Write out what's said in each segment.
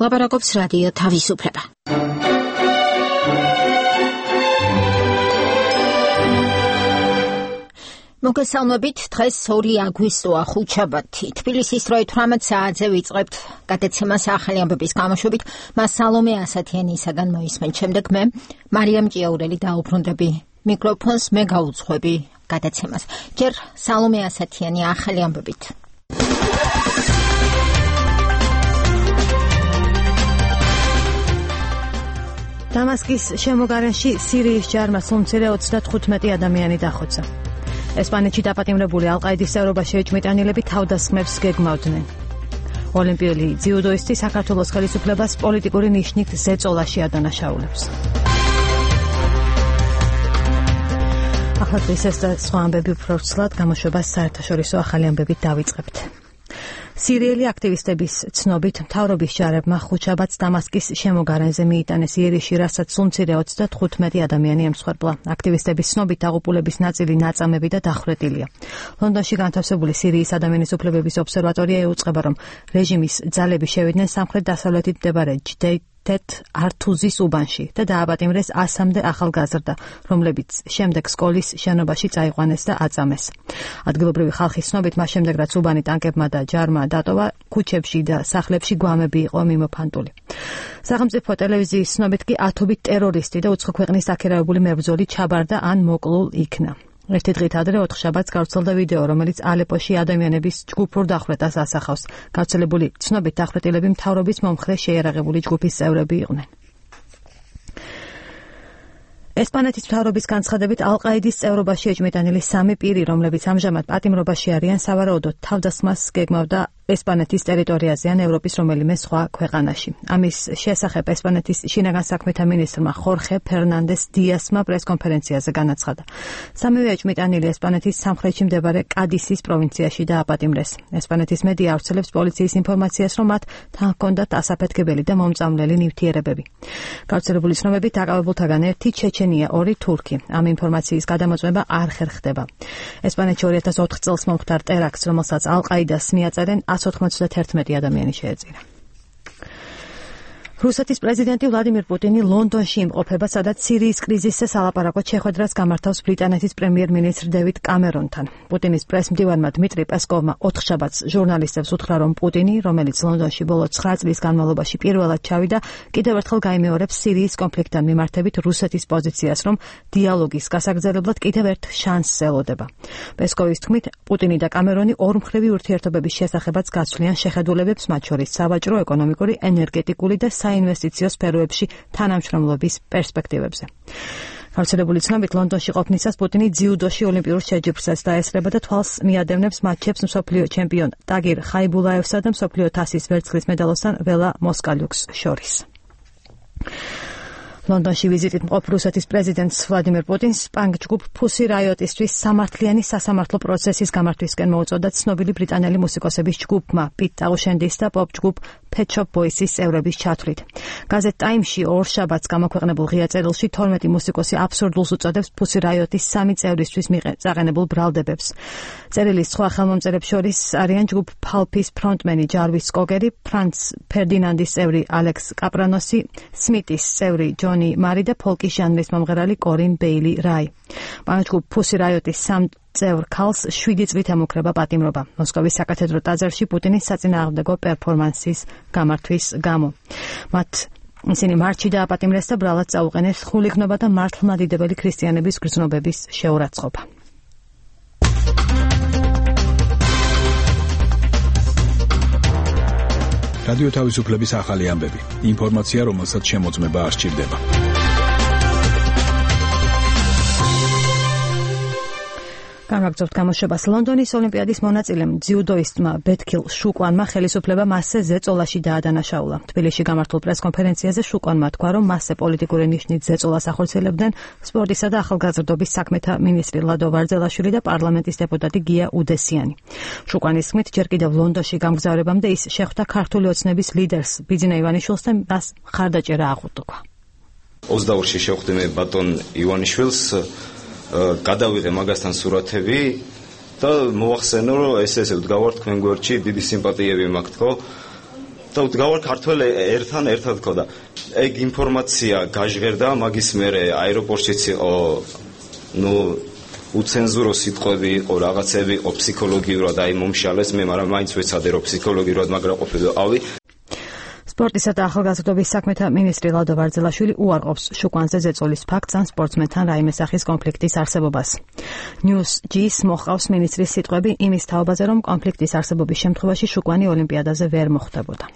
ლაპარაკობს რადიო თავისუფლება. მოგესალმებით, დღეს 2 აგვისტოა ხუთშაბათი. თბილისის დროით 18 საათზე ვიწყებთ გადაცემას ახალი ამბების გამოშვებით. მას სალომე ასათიანისაგან მოისმენთ. შემდეგ მე, მარიამ ჭიაურელი დაუბრუნდები მიკროფონს, მე გაუძღვები გადაცემას. ჯერ სალომე ასათიანი ახალი ამბებით. დამასკის შემოგარენში სირიის ჯარმა სულმცირე 35 ადამიანი დახოცა. ესპანეთში დაპატიმრებული ალ-ყაიდის წევრობაში ეჭვმიტანილები თავდასხმებს გეგმავდნენ. ოლიმპიური ძიუდოისტი საქართველოს ხელისუფლებას პოლიტიკური ნიშნით ზეწოლაში ადანაშაულებს. ახლა ეს და სხვა ამბები უფრო ცვლად გამოშვებას საერთაშორისო ახალი ამბებით დავიწყებთ. სირიელი აქტივისტების ცნობით მთავრობის ჯარებმა ხუთშაბათს დამასკის შემოგარენზე მიიტანეს იერიში, რასაც სულმცირე 35 ადამიანი ემსხვერპლა. აქტივისტების ცნობით დაღუპულების ნაწილი ნაწამები და დახვრეტილია. ლონდონში განთავსებული სირიის ადამიანის უფლებების ობსერვატორია ეუწყება, რომ რეჟიმის ძალები შევიდნენ სამხრეთ-დასავლეთით მდებარე ჯდეიტ ართუზის უბანში და დააპატიმრეს 100-მდე ახალგაზრდა, რომლებიც შემდეგ სკოლის შენობაში წაიყვანეს და აწამეს. ადგილობრივი ხალხის ცნობით, მას შემდეგ რაც უბანი ტანკებმა და ჯარმა დატოვა, ქუჩებში და სახლებში გვამები იყო მიმოფანტული. სახელმწიფო ტელევიზიის ცნობით კი ათობით ტერორისტი და უცხო ქვეყნის აქირავებული მებრძოლი ჩაბარდა ან მოკლულ იქნა. ერთი დღით ადრე 4 შაბათს გავრცელდა ვიდეო, რომელიც ალეპოში ადამიანების ჯგუფურ დახვრეტას ასახავს. გავრცელებული ცნობით დახვრეტილები მთავრობის მომხრე შეიარაღებული ჯგუფის წევრები იყვნენ. ესპანეთის მთავრობის განცხადებით ალ-ყაიდის წევრობაში ეჭვმიტანილი 3 პირი, რომლებიც ამჟამად პატიმრობაში არიან, სავარაუდოდ თავდასხმას გეგმავდა ესპანეთის ტერიტორიაზე ან ევროპის რომელიმე სხვა ქვეყანაში. ამის შესახებ ესპანეთის შინაგან საქმეთა მინისტრმა ხორხე ფერნანდეს დიასმა პრესკონფერენციაზე განაცხადა. სამივე ეჭვმიტანილი ესპანეთის სამხრეთში მდებარე კადისის პროვინციაში დააპატიმრეს. ესპანეთის მედია ავრცელებს პოლიციის ინფორმაციას, რომ მათ თან ჰქონდათ ასაფეთქებელი და მომწამლელი ნივთიერებები. გავრცელებული ცნობებით დაკავებულთაგან ერთი ჩეჩენია, 2 თურქი. ამ ინფორმაციის გადამოწმება არ ხერხდება. ესპანეთში 2004 წელს მომხდარ ტერაქტს, რომელსაც ალ-ყაიდას მიაწერენ 191 ადამიანი შეეწირა. რუსეთის პრეზიდენტი ვლადიმირ პუტინი ლონდონში იმყოფება, სადაც სირიის კრიზისზე სალაპარაკოდ შეხვედრას გამართავს ბრიტანეთის პრემიერ-მინისტრ დევიდ კამერონთან. პუტინის პრესმდივანმა დმიტრი პესკოვმა 4 შაბათს ჟურნალისტებს უთხრა, რომ პუტინი, რომელიც ლონდონში ბოლო 9 წლის განმავლობაში პირველად ჩავიდა, კიდევ ერთხელ გაიმეორებს სირიის კონფლიქტთან მიმართებით რუსეთის პოზიციას, რომ დიალოგის გასაგრძელებლად კიდევ ერთ შანსს ელოდება. პესკოვის თქმით, პუტინი და კამერონი ორმხრივი ურთიერთობების შესახებაც გაცვლიან შეხედულებებს, მათ შორის სავაჭრო, ეკონომიკური, ენერგეტიკული და საინვესტიციო სფეროებში თანამშრომლობის პერსპექტივებზე. გავრცელებული ცნობით, ლონდონში ყოფნისას პუტინი ძიუდოში ოლიმპიურ შეჯიბრსაც დაესწრება და თვალს მიადევნებს მატჩებს მსოფლიო ჩემპიონ ტაგირ ხაიბულაევსა და მსოფლიო თასის ვერცხლის მედალოსთან ველა მოსკალიუქს შორის. ლონდონში ვიზიტით მყოფ რუსეთის პრეზიდენტს ვლადიმირ პუტინს პანკ-ჯგუფ Pussy Riot-ისთვის სამართლიანი სასამართლო პროცესის გამართვისკენ მოუწოდა ცნობილი ბრიტანელი მუსიკოსების ჯგუფმა პიტ ტაუშენდის და პოპ-ჯგუფ Pet Shop Boys-ის წევრების ჩათვლით. გაზეთ Time-ში 2 შაბათს გამოქვეყნებულ ღია წერილში 12 მუსიკოსი აბსურდულს უწოდებს Pussy Riot-ის 3 წევრისთვის წაყენებულ ბრალდებებს. წერილის სხვა ხელმომწერებს შორის არიან ჯგუფ Pulp-ის ფრონტმენი ჯარვის კოგერი, ფრანც ფერდინანდის წევრი ალექს კაპრანოსი, სმიტის წევრი ჯონი მარი და ფოლკის ჟანრის მომღერალი კორინ ბეილი რაი. პანკ-ჯგუფ Pussy Riot-ის 3 წევრ ქალს 7 წლით ემუქრება პატიმრობა. მოსკოვის საკათედრო ტაძარში პუტინის საწინააღმდეგო პერფორმანსის გამართვის გამო. ისინი მარტში დააპატიმრეს და ბრალად წაუყენეს ხულიგნობა და მართლმადიდებელი ქრისტიანების გრძნობების შეურაცხყოფა. რადიო თავისუფლების ახალი ამბები. ინფორმაცია, რომელსაც შემოწმება არ სჭირდება. გამაგზავნებთ გამოშვებას. ლონდონის ოლიმპიადის მონაწილემ ძიუდოისტმა ბეთქილ შუკვანმა ხელისუფლება მასზე ზეწოლაში დაადანაშაულა. თბილისში გამართულ პრესკონფერენციაზე შუკვანმა თქვა, რომ მასზე პოლიტიკური ნიშნით ზეწოლას ახორციელებდნენ სპორტისა და ახალგაზრდობის საქმეთა მინისტრი ლადო ვარძელაშვილი და პარლამენტის დეპუტატი გია უდესიანი. შუკვანის თქმით, ჯერ კიდევ ლონდონში გამგზავრებამდე ის შეხვდა ქართული ოცნების ლიდერს ბიძინა ივანიშვილს და მას მხარდაჭერა აღუთქვა. 22-ში შევხვდი მე ბატონ ივანიშვილს, გადავიღე მაგასთან სურათები და მოახსენო, რომ ესე ვდგავართ თქვენ გვერდში, დიდი სიმპათიები მაქვს, ხო? და უდგავარ ქართველი ერთად ქოდა. ეგ ინფორმაცია გაჟღერდა, მაგის მერე აეროპორტშიც იყო უცენზურო სიტყვები იყო, რაღაცები იყო ფსიქოლოგიურად აი მომშალეს მე, მაგრამ მაინც ვეცადე რომ ფსიქოლოგიურად მაგრა ყოფილიყავი. სპორტისა და ახალგაზრდობის საქმეთა მინისტრი ლადო ვარძელაშვილი უარყოფს შუკვანზე ზეწოლის ფაქტს ან სპორტსმენთან რაიმე სახის კონფლიქტის არსებობას. News-G-ს მოჰყავს მინისტრის სიტყვები იმის თაობაზე, რომ კონფლიქტის არსებობის შემთხვევაში შუკვანი ოლიმპიადაზე ვერ მოხვდებოდა.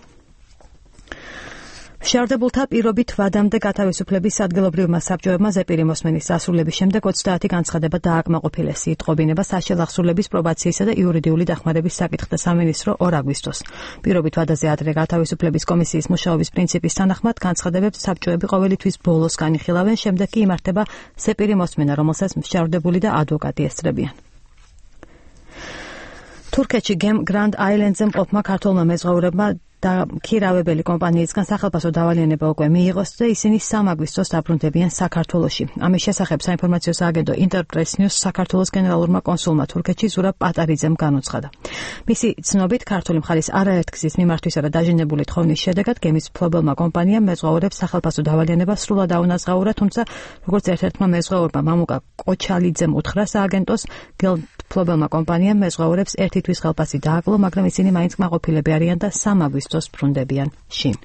შარდებულთა პირობით ვადამდე გათავისუფლების ადგილობრივმა საბჭოებმა ზეპირი მოსმენის დასრულების შემდეგ 30 განცხადება დააკმაყოფილეს. იტყობინება საშელ აღსრულების პრობაციისა და იურიდიული დახმარების საკითხთა სამინისტრო 2 აგვისტოს. პირობით ვადაზე ადრე გათავისუფლების კომისიის მუშაობის პრინციპის თანახმად განცხადებებს საბჭოები ყოველი თვის ბოლოს განიხილავენ, შემდეგ კი იმართება ზეპირი მოსმენა, რომელსაც შარდებული და ადვოკატი ესწრებიან. თურქეთში გემ გრანდ აილენდზე მყოფმა ქართველმა მეზღვაურებმა და ქირავებელი კომპანიისგან სახელმწიფო დავალიანება უკვე მიიღოს და ისინი 3 აგვისტოს დაბრუნდებიან საქართველოში. ამის შესახებ საინფორმაციო სააგენტო Interpress News საქართველოს გენერალურმა კონსულმა თურქეთში ზურაბ პატარიძემ განუცხადა. მისი ცნობით ქართული მხარის არაერთგზის მიმართვისა და დაჟინებული თხოვნის შედეგად გემის მფლობელმა კომპანიამ მეზღვაურებს სახელმწიფო დავალიანება სრულად აუნაზღაურა, თუმცა როგორც ერთ-ერთმა მეზღვაურმა მამუკა კოჩალიძემ უთხრა სააგენტოს, მფლობელმა კომპანიამ მეზღვაურებს 1 თვის ხელფასი დააკლო, მაგრამ ისინი მაინც კმაყოფილები არიან და 3 აგვისტოს ბრუნდებიან შინ.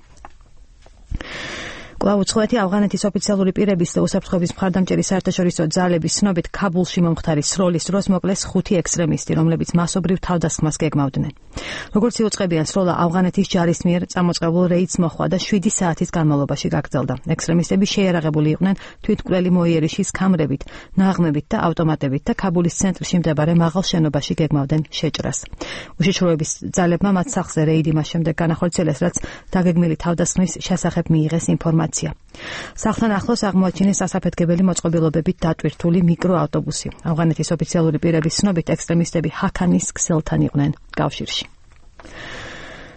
კვლავ უცხოეთი ავღანეთის ოფიციალური პირების და უსაფრთხოების მხარდამჭერი საერთაშორისო ძალების ცნობით ქაბულში მომხდარი სროლის დროს მოკლეს 5 ექსტრემისტი, რომლებიც მასობრივ თავდასხმას გეგმავდნენ. როგორც იუწყებიან, სროლა ავღანეთის ჯარის მიერ წამოწყებულ რეიდს მოჰყვა და 7 საათის განმავლობაში გაგრძელდა. ექსტრემისტები შეიარაღებული იყვნენ თვითმკვლელი მოიერიშის ქამრებით, ნაღმებით და ავტომატებით და ქაბულის ცენტრში მდებარე მაღალ შენობაში გეგმავდნენ შეჭრას. უშიშროების ძალებმა მათ სახლზე რეიდი მას შემდეგ განახორციელეს, რაც დაგეგმილი თავდასხმის შესახებ მიიღეს ინფორმაცია. სახლთან ახლოს აღმოაჩინეს ასაფეთქებელი მოწყობილობებით დატვირთული მიკროავტობუსი. ავღანეთის ოფიციალური პირების ცნობით ექსტრემისტები ჰაქანის ქსელთან იყვნენ კავშირში.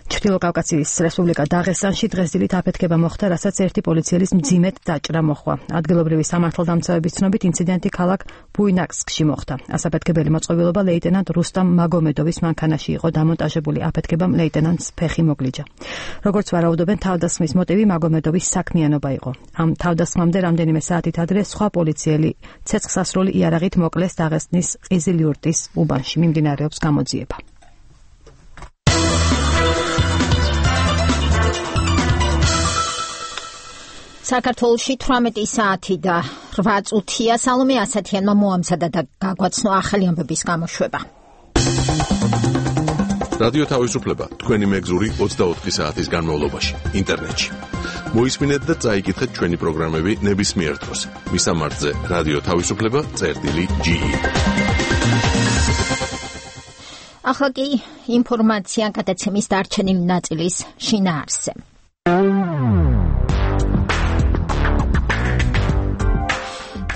ჩრდილო კავკასიის რესპუბლიკა დაღესტანში დღეს დილით აფეთქება მოხდა, რასაც ერთი პოლიციელის მძიმედ დაჭრა მოჰყვა. ადგილობრივი სამართალდამცავების ცნობით ინციდენტი ქალაქ ბუინასკში მოხდა. ასაფეთქებელი მოწყობილობა ლეიტენანტ რუსტამ მაგომედოვის მანქანაში იყო დამონტაჟებული. აფეთქებამ ლეიტენანტს ფეხი მოგლიჯა. როგორც ვარაუდობენ, თავდასხმის მოტივი მაგომედოვის საქმიანობა იყო. ამ თავდასხმამდე რამდენიმე საათით ადრე სხვა პოლიციელი ცეცხლსასროლი იარაღით მოკლეს დაღესტნის ყიზილიურტის უბანში. მიმდინარეობს გამოძიება. საქართველოში 18 საათი და 8 წუთია. სალომე ასათიანმა მოამზადა და გაგვაცნო ახალი ამბების გამოშვება. რადიო თავისუფლება თქვენი მეგზური 24 საათის განმავლობაში ინტერნეტში. მოისმინეთ და წაიკითხეთ ჩვენი პროგრამები ნებისმიერ დროს. მისამართზე რადიო თავისუფლება.ge. ახლა კი ინფორმაცია გადაცემის დარჩენილი ნაწილის შინაარსზე.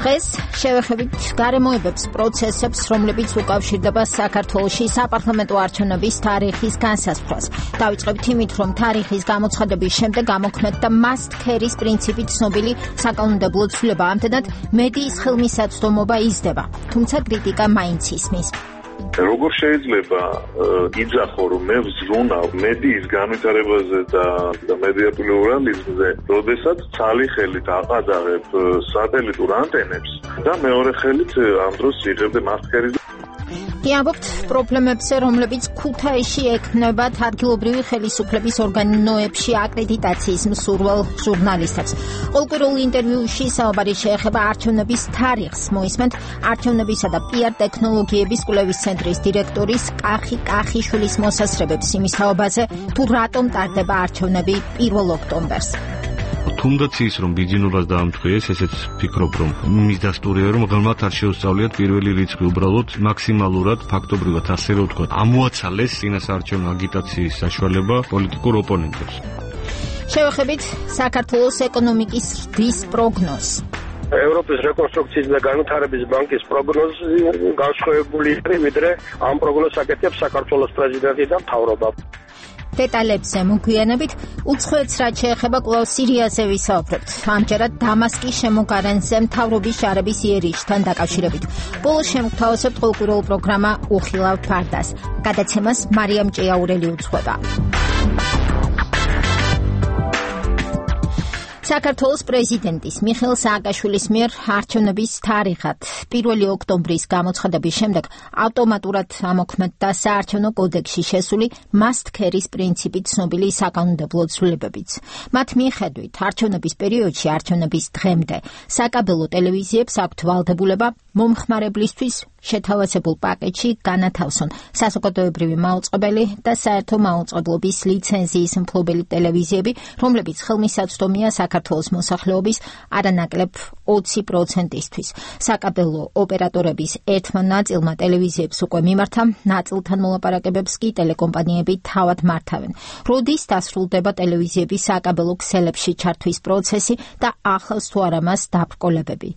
დღეს შევეხებით გარემოებებს პროცესებს, რომლებიც უკავშირდება საქართველოში საპარლამენტო არჩევნების თარიღის განსაზღვრას. დავიწყებთ იმით, რომ თარიღის გამოცხადების შემდეგ გამოქმნეთ და must carry-ის პრინციპით ცნობილი საკანონმდებლო ცვლილება ამდენად მედიის ხელმისაწვდომობა იზრდება, თუმცა კრიტიკა მაინც ისმის. როგორ შეიძლება იძახო, რომ მე ვზრუნავ მედიის განვითარებაზე და მედია პლურალიზმზე, როდესაც ცალი ხელით აყადაღებ სატელიტურ ანტენებს და მეორე ხელით ამ დროს იღებდე მასკერს. Იამბობთ პრობლემებზე, რომლებიც ქუთაისში ექმნებათ ადგილობრივი ხელისუფლების ორგანოებში აკრედიტაციის მსურველ ჟურნალისტებს. ყოველკვირეულ ინტერვიუში საუბარი შეეხება არჩევნების თარიღს. მოისმენთ არჩევნებისა და PR ტექნოლოგიების კვლევის ცენტრის დირექტორის კახი კახიშვილის მოსასწრებებს იმის თაობაზე, თუ რატომ ტარდება არჩევნები 1 ოქტომბერს. თუნდაც ის რომ ბიძინებას დაამტყიეს, ესეც ფიქრობ რომ მის დასტურია რომ ღალმად არ შეუსწავლიათ პირველი რიცხვი, უბრალოდ მაქსიმალურად ფაქტობრივად ასე რომ ვთქვათ, ამოაცალეს წინასაარჩევნო აგიტაციის საშუალება პოლიტიკურ ოპონენტებს. შევეხებით საქართველოს ეკონომიკის ზრდის პროგნოზს. ევროპის რეკონსტრუქციის და განვითარების ბანკის პროგნოზი განსხვავებული არის, ვიდრე ამ პროგნოზს აკეთებს საქართველოს პრეზიდენტი და მთავრობა. დეტალებზე მოგვიანებით, უცხოეთს რაც შეეხება კვლავ სირიაზე ვისაუბრებთ. ამჯერად დამასკის შემოგარენზე მთავრობის ჯარების იერიშთან დაკავშირებით. ბოლოს შემოგთავაზებთ ყოველკვირეულ პროგრამა უხილავ ფარდას. გადაცემას მარიამ ჭეაურელი უძღვება. საქართველოს პრეზიდენტის მიხეილ სააკაშვილის მიერ არჩევნების თარიღად 1 ოქტომბრის გამოცხადების შემდეგ ავტომატურად ამოქმედდა საარჩევნო კოდექსში შესული must-carry-ის პრინციპით ცნობილი საკანონმდებლო ცვლილებებიც. მათ მიხედვით არჩევნების პერიოდში არჩევნების დღემდე საკაბელო ტელევიზიებს აქვთ ვალდებულება მომხმარებლისთვის შეთავაზებულ პაკეტში განათავსონ საზოგადოებრივი მაუწყებელი და საერთო მაუწყებლობის ლიცენზიის მფლობელი ტელევიზიები, რომლებიც ხელმისაწვდომია საქართველოს მოსახლეობის არანაკლებ 20%-ისთვის. საკაბელო ოპერატორების ერთმა ნაწილმა ტელევიზიებს უკვე მიმართა, ნაწილთან მოლაპარაკებებს კი ტელეკომპანიები თავად მართავენ. როდის დასრულდება ტელევიზიების საკაბელო ქსელებში ჩართვის პროცესი და ახლავს თუ არა მას დაბრკოლებები?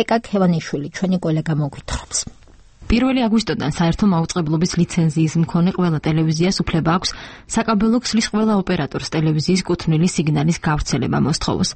ეკა ქევანიშვილი ჩვენი კოლეგა მოგვითხრობს. 1 აგვისტოდან საერთო მაუწყებლობის ლიცენზიის მქონე ყველა ტელევიზიას უფლება აქვს საკაბელო ქსლის ყველა ოპერატორს ტელევიზიის კუთვნილი სიგნალის გავრცელება მოსთხოვოს.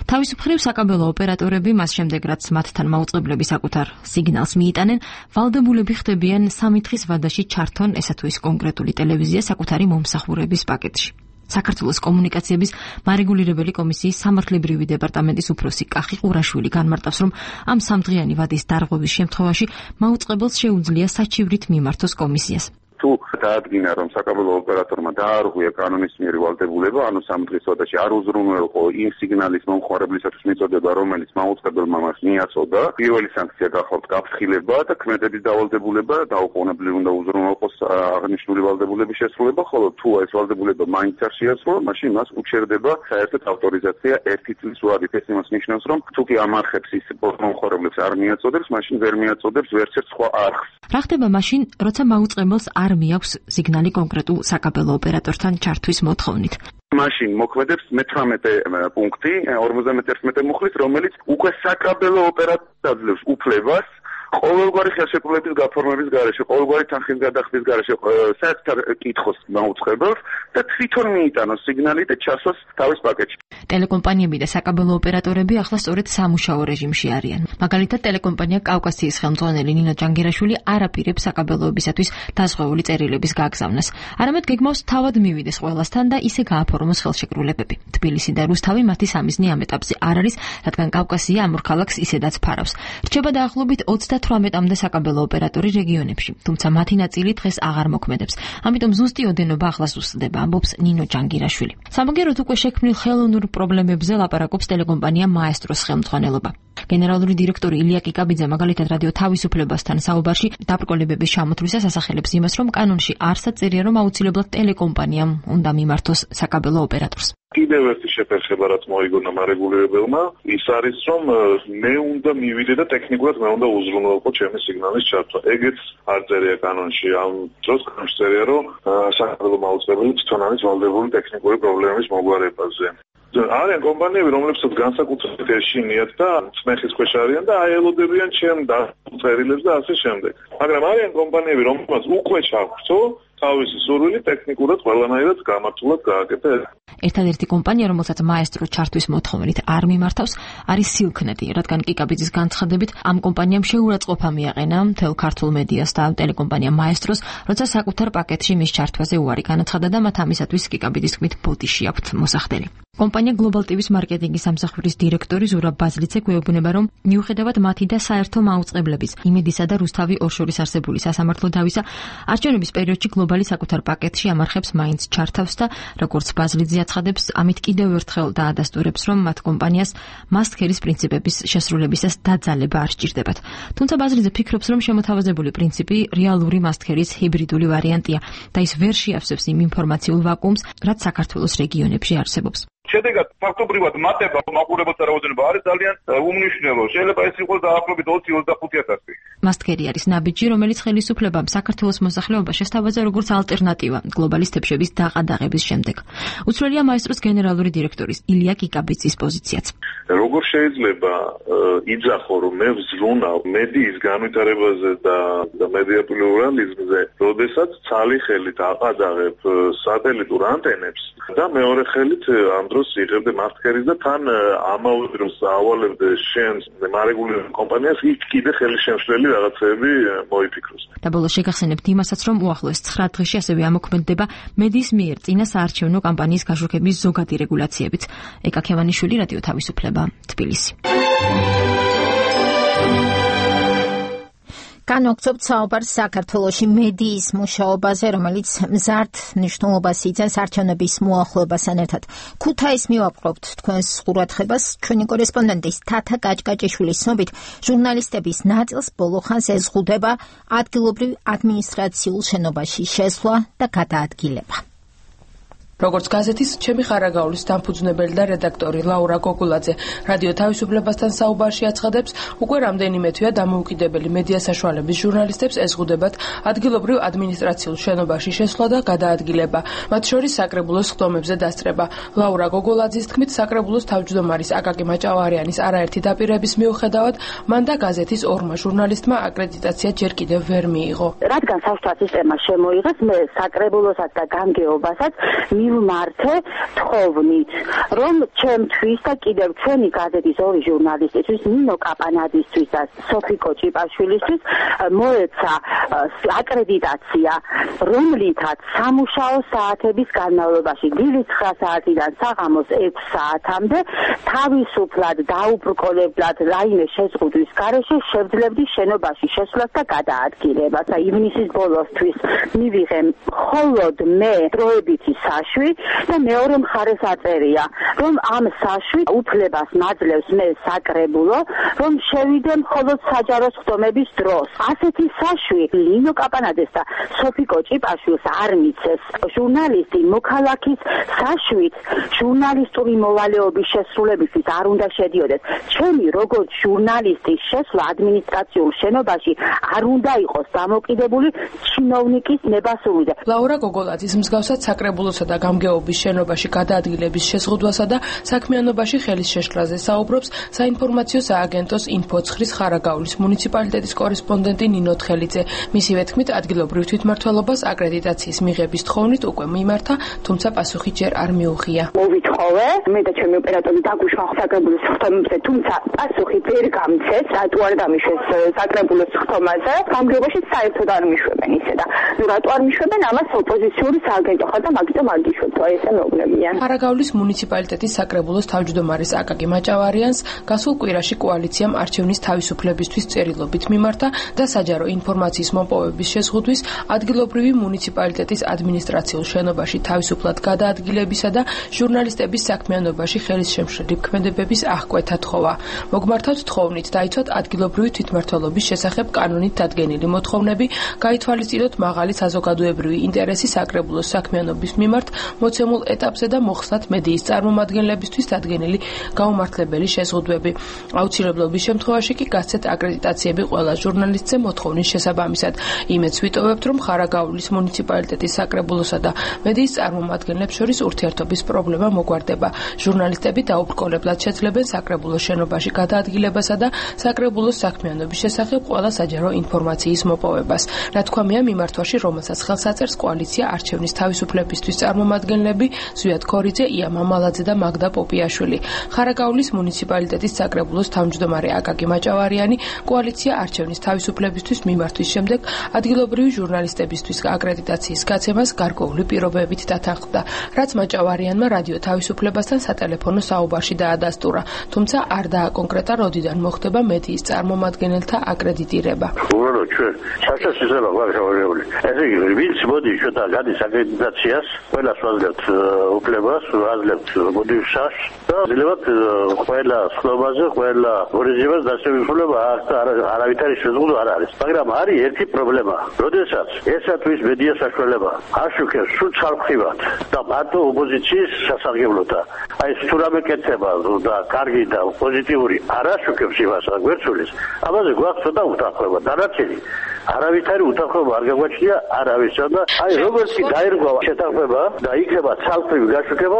თავის მხრივ საკაბელო ოპერატორები მას შემდეგ რაც მათთან მაუწყებლები საკუთარ სიგნალს მიიტანენ, ვალდებულები ხდებიან 3 დღის ვადაში ჩართონ ესა თუ ის კონკრეტული ტელევიზია საკუთარი მომსახურების პაკეტში. საქართველოს კომუნიკაციების მარეგულირებელი კომისიის სამართლებრივი დეპარტამენტის უფროსი კახი ყურაშვილი განმარტავს, რომ ამ 3 დღიანი ვადის დარღვევის შემთხვევაში მაუწყებელს შეუძლია საჩივრით მიმართოს კომისიას. თუ დაადგინა, რომ საკაბელო ოპერატორმა დაარღვია კანონის მიერ ვალდებულება, ანუ 3 დღის ვადაში არ უზრუნველყო იმ სიგნალის მომხმარებლისათვის მიწოდება, რომელიც მაუწყებელმა მას მიაწოდა, პირველი სანქცია გახავთ გაფრთხილება და ქმედების დავალდებულება, დაუყოვნებლივ უნდა უზრუნველყოს აღნიშნული ვალდებულების შესრულება, ხოლო თუ ეს ვალდებულება მაინც არ შეასრულა, მაშინ მას უჩერდება საერთოდ ავტორიზაცია 1 წლის ვადით. ეს იმას ნიშნავს, რომ თუ კი ამ არხებს ის მომხმარებლებს არ მიაწოდებს, მაშინ ვერ მიაწოდებს ვერც ერთ სხვა არხს. რა ხდება მაშინ, როცა მაუწყებელს არ მიაქვს სიგნალი კონკრეტულ საკაბელო ოპერატორთან ჩართვის მოთხოვნით? მაშინ მოქმედებს 18 პუნქტი 51 მუხლის, რომელიც უკვე საკაბელო ოპერატორს აძლევს უფლებას ყოველგვარი ხელშეკრულების გაფორმების გარეშე, ყოველგვარი თანხის გადახდის გარეშე საერთოდ კითხოს მაუწყებელს და თვითონ მიიტანოს სიგნალი და ჩასვას თავის პაკეტში. ტელეკომპანიები და საკაბელო ოპერატორები ახლა სწორედ სამუშაო რეჟიმში არიან. მაგალითად, ტელეკომპანია კავკასიის ხელმძღვანელი ნინო ჯანგირაშვილი არ აპირებს საკაბელოებისათვის დაზღვეული წერილების გაგზავნას. არამედ გეგმავს თავად მივიდეს ყველასთან და ისე გააფორმოს ხელშეკრულებები. თბილისი და რუსთავი მათი სამიზნე ამ ეტაპზე არ არის, რადგან კავკასია ამ ორ ქალაქს ისედაც ფარავს. რჩება დაახლოებით 38-მდე საკაბელო ოპერატორი რეგიონებში, თუმცა მათი ნაწილი დღეს აღარ მოქმედებს. ამიტომ ზუსტი ოდენობა ახლა ზუსტდება, ამბობს ნინო ჯანგირაშვილი. სამაგეროდ უკვე შექმნილ ხელოვნურ პრობლემებზე ლაპარაკობს ტელეკომპანია მაესტროს ხელმძღვანელობა. გენერალური დირექტორი ილია კიკაბიძე მაგალითად რადიო თავისუფლებასთან საუბარში დაბრკოლებების ჩამოთვლისას ასახელებს იმას, რომ კანონში არსად წერია, რომ აუცილებლად ტელეკომპანიამ უნდა მიმართოს საკაბელო ოპერატორს. კიდევ ერთი შეფერხება, რაც მოიგონა მარეგულირებელმა, ის არის, რომ მე უნდა მივიდე და ტექნიკურად მე უნდა უზრუნველყო ჩემი სიგნალის ჩართვა. ეგეც არ წერია კანონში. ამ დროს კანონში წერია, რომ საკაბელო მაუწყებელი თვითონ არის ვალდებული ტექნიკური პრობლემების მოგვარებაზე. არიან კომპანიები, რომლებსაც განსაკუთრებით ეშინიათ და წნეხის ქვეშ არიან და აელოდებიან ჩემ წერილებს და ასე შემდეგ. მაგრამ არიან კომპანიები, რომლებსაც უკვე ჩაგვწო თავისი სურვილი ტექნიკურად ყველანაირად გამართულად გააკეთა. ერთადერთი კომპანია, რომელსაც მაესტრო ჩართვის მოთხოვნით არ მიმართავს, არის სილქნეტი, რადგან კიკაბიძის განცხადებით ამ კომპანიამ შეურაცხყოფა მიაყენა მთელ ქართულ მედიას და ტელეკომპანია მაესტროს, როცა საკუთარ პაკეტში მის ჩართვაზე უარი განაცხადა და მათ ამისათვის კიკაბიძის თქმით ბოდიში აქვთ მოსახდელი. კომპანია Global TV-ს მარკეტინგის სამსახურის დირექტორი ზურაბ ბაზლიცე გვეუბნება, რომ მიუხედავად მათი და საერთო მაუწყებლების იმედისა და რუსთავი ორ შორის არსებული სასამართლო დავისა, არჩევნების პერიოდში გლობალი საკუთარ პაკეტში ამარხებს მაინც ჩართავს და როგორც ბაზლიძე აცხადებს, ამით კიდევ ერთხელ დაადასტურებს, რომ მათ კომპანიას must-carry-ის პრინციპების შესრულებისას დაძალება არ სჭირდებათ. თუმცა ბაზლიძე ფიქრობს, რომ შემოთავაზებული პრინციპი რეალური must-carry-ის ჰიბრიდული ვარიანტია და ის ვერ შეავსებს იმ ინფორმაციულ ვაკუუმს, რაც საქართველოს რეგიონებში არსებობს. შედეგად ფაქტობრივად მატება მაყურებელთა რაოდენობა არის ძალიან უმნიშვნელო. შეიძლება ეს იყოს დაახლოებით 20-25,000. must-carry არის ნაბიჯი, რომელიც ხელისუფლებამ საქართველოს მოსახლეობას შესთავაზა როგორც ალტერნატივა გლობალის თებშების დაყადაღების შემდეგ. უცვლელია მაესტროს გენერალური დირექტორის ილია კიკაბიძის პოზიციაც. როგორ შეიძლება იძახო, რომ მე ვზრუნავ მედიის განვითარებაზე და მედია პლურალიზმზე, როდესაც ცალი ხელით აყადაღებ სატელიტურ ანტენებს და მეორე ხელით ამ დროს იღებდე must-carry-ს და თან ამავე დროს ავალებდე შენს მარეგულირებელ კომპანიას იქ კიდე ხელის შემშლელი რაღაცები მოიფიქროს. და ბოლოს შეგახსენებთ იმასაც, რომ უახლოეს 9 დღეში ასევე ამოქმედდება მედიის მიერ წინა საარჩევნო კამპანიის გაშუქების ზოგადი რეგულაციებიც. ეკა ქევანიშვილი, რადიო თავისუფლება, თბილისი. განვაგრძობთ საუბარს საქართველოში მედიის მუშაობაზე, რომელიც მზარდ მნიშვნელობას იძენს არჩევნების მოახლოებასთან ერთად. ქუთაისს მივაპყრობთ თქვენს ყურადღებას. ჩვენი კორესპონდენტის თათა კაჭკაჭიშვილის ცნობით, ჟურნალისტების ნაწილს ბოლო ხანს ეზღუდება ადგილობრივ ადმინისტრაციულ შენობაში შესვლა და გადაადგილება. როგორც გაზეთის ჩემი ხარაგაულის დამფუძნებელი და რედაქტორი ლაურა გოგულაძე რადიო თავისუფლებასთან საუბარში აცხადებს, უკვე რამდენიმე თვეა დამოუკიდებელი მედია საშუალების ჟურნალისტებს ეზღუდებათ ადგილობრივ ადმინისტრაციულ შენობაში შესვლა და გადაადგილება, მათ შორის საკრებულოს ხდომებზე დასწრება. ლაურა გოგულაძის თქმით, საკრებულოს თავმჯდომარის აკაკი მაჭავარიანის არაერთი დაპირების მიუხედავად, მან და გაზეთის ორმა ჟურნალისტმა აკრედიტაცია ჯერ კიდევ ვერ მიიღო. რადგან საშუალო სისტემა შემოიღეს, მე საკრებულოსაც და გამგეობასაც მივმართე თხოვნით, რომ ჩემთვის და კიდევ ჩვენი გაზეთის ორი ჟურნალისტისთვის, ნინო კაპანადისთვის და სოფიკო ჭიპაშვილისთვის მოეცა აკრედიტაცია, რომლითაც სამუშაო საათების განმავლობაში დილის 9 საათიდან საღამოს 6 საათამდე თავისუფლად დაუბრკოლებლად რაიმე შეზღუდვის გარეშე შევძლებდი შენობაში შესვლას და გადაადგილებას. ივნისის ბოლოსთვის მივიღე მხოლოდ მე დროებითი საშვი და მეორე მხარეს აწერია, რომ ამ საშვი უფლებას მაძლევს მე საკრებულო, რომ შევიდე მხოლოდ საჯარო ხდომების დროს. ასეთი საშვი ლინო კაპანადეს და სოფიკო ჭიპაშვილს არ მიცეს. ჟურნალისტი მოქალაქის საშვით ჟურნალისტური მოვალეობის შესრულებისთვის არ უნდა შედიოდეს. ჩემი როგორც ჟურნალისტის შესვლა ადმინისტრაციულ შენობაში არ უნდა იყოს დამოკიდებული ჩინოვნიკის ნებასრულზე. ლაურა გოგოლაძის მსგავსად საკრებულოსა და გამგეობის შენობაში გადაადგილების შეზღუდვასა და საქმიანობაში ხელის შეშლაზე საუბრობს საინფორმაციო სააგენტოს ინფოცხრის ხარაგაულის მუნიციპალიტეტის კორესპონდენტი ნინო თხელიძე. მისივე თქმით, ადგილობრივ თვითმმართველობას აკრედიტაციის მიღების თხოვნით უკვე მიმართა, თუმცა პასუხი ჯერ არ მიუღია. მოვითხოვე, მე და ჩემი ოპერატორი დაგვიშვა საკრებულოს ხდომებზე, თუმცა პასუხი ვერ გამცეს, რატო არ დამიშვეს საკრებულოს ხდომაზე. გამგეობაში საერთოდ არ მიშვებენ ისე და რატო არ მიშვებენ, ამას ოპოზიციური სააგენტო ხარ და მაგიტომ არ გიშვებთ, აი ესე მეუბნებიან. ხარაგაულის მუნიციპალიტეტის საკრებულოს თავმჯდომარის აკაკი მაჭავარიანს გასულ კვირაში კოალიციამ არჩევნის თავისუფლებისთვის წერილობით მიმართა და საჯარო ინფორმაციის მოპოვების შეზღუდვის ადგილობრივი მუნიციპალიტეტის ადმინისტრაციულ შენობაში თავისუფლად გადაადგილებისა და ჟურნალისტების საქმიანობაში ხელის შემშლელი ქმედებების აღკვეთა თხოვა. მოგმართავთ თხოვნით დაიცვათ ადგილობრივი თვითმმართველობის შესახებ კანონით დადგენილი მოთხოვნები, გაითვალისწინოთ მაღალი საზოგადოებრივი ინტერესი საკრებულოს საქმიანობის მიმართ მოცემულ ეტაპზე და მოხსნათ მედიის წარმომადგენლებისთვის დადგენილი გაუმართლებელი შეზღუდვები. აუცილებლობის შემთხვევაში კი გასცეთ აკრედიტაციები ყველა ჟურნალისტზე მოთხოვნის შესაბამისად. იმედს ვიტოვებთ, რომ ხარაგაულის მუნიციპალიტეტის საკრებულოსა და მედიის წარმომადგენლებს შორის ურთიერთობის პრობლემა მოგვარდება. ჟურნალისტები დაუბრკოლებლად შეძლებენ საკრებულოს შენობაში გადაადგილებასა და საკრებულოს საქმიანობის შესახებ ყველა საჯარო ინფორმაციის მოპოვებას. რა თქმია, მიმართვაში, რომელსაც ხელს აწერს კოალიცია არჩევნის თავისუფლებისთვის წარმომადგენლები ზვიად ქორიძე, ია მამალაძე და მაგდა პოპიაშვილი. ხარაგაულის მუნიციპალიტეტის საკრებულოს თავმჯდომარე აკაკი მაჭავარიანი კოალიცია არჩევნის თავისუფლებისთვის მიმართვის შემდეგ ადგილობრივი ჟურნალისტებისთვის აკრედიტაციის გაცემას გარკვეული პირობებით დათანხმდა, რაც მაჭავარიანმა რადიო თავისუფლებასთან სატელეფონო საუბარში დაადასტურა, თუმცა არ დააკონკრეტა როდიდან მოხდება მედიის წარმომადგენელთა აკრედიტირება. უბრალოდ ჩვენ საერთოდ შეიძლება გავშევარებული. ესე იგი, ვინც მოდის შოთა გადის აკრედიტაციას, ყველას ვაძლევთ უფლებას, ვაძლევთ მოდივსას და ვაძლევთ ყველა სხდომაზე, ყველა ორიზებას დასწრება არავითარი შეზღუდვა არ არის. მაგრამ არის ერთი პრობლემა. როდესაც ესათვის მედია საშუალება აშუქებს სულ ცალმხრივად და მარტო ოპოზიციის სასარგებლოთა, აი თუ რამე კეთება და კარგი და პოზიტიური არ აშუქებს იმას, გვერდსულის, ამაზე გვაქვს ცოტა უთანხმოება. დანარჩენი არავითარი უთანხმოება არ გაგვაჩნია არავისო და აი როგორც კი დაირგვა შეთანხმება და იქნება ცალკრივი გაშუქება,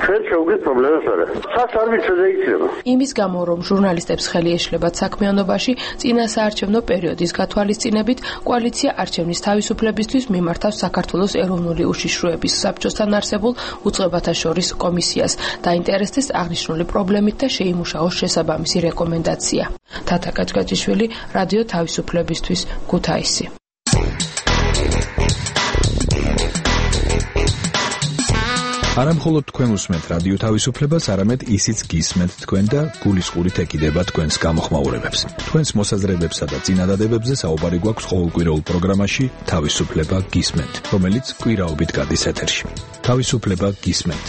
ჩვენ შევგვით პრობლემას არა. სას არ ვიცოდი იქნება. იმის გამო, რომ ჟურნალისტებს ხელი ეშლებათ საქმიანობაში, წინასაარჩევნო პერიოდის გათვალისწინებით, კოალიცია არჩევნის თავისუფლებისთვის მიმართავს საქართველოს ეროვნული უშიშროების საბჭოსთან არსებულ უწყებათა შორის კომისიას, დაინტერესდეს აღნიშნული პრობლემით და შეიმუშაოს შესაბამისი რეკომენდაცია. თათა კაჭკაჭიშვილი, რადიო თავისუფლებისთვის, ქუთაისი. არა მხოლოდ თქვენ უსმენთ რადიო თავისუფლებას, არამედ ისიც გისმენთ თქვენ და გულისყურით ეკიდება თქვენს გამოხმაურებებს. თქვენს მოსაზრებებსა და წინადადებებზე საუბარი გვაქვს ყოველკვირეულ პროგრამაში თავისუფლება გისმენთ, რომელიც კვირაობით გადის ეთერში. თავისუფლება გისმენთ.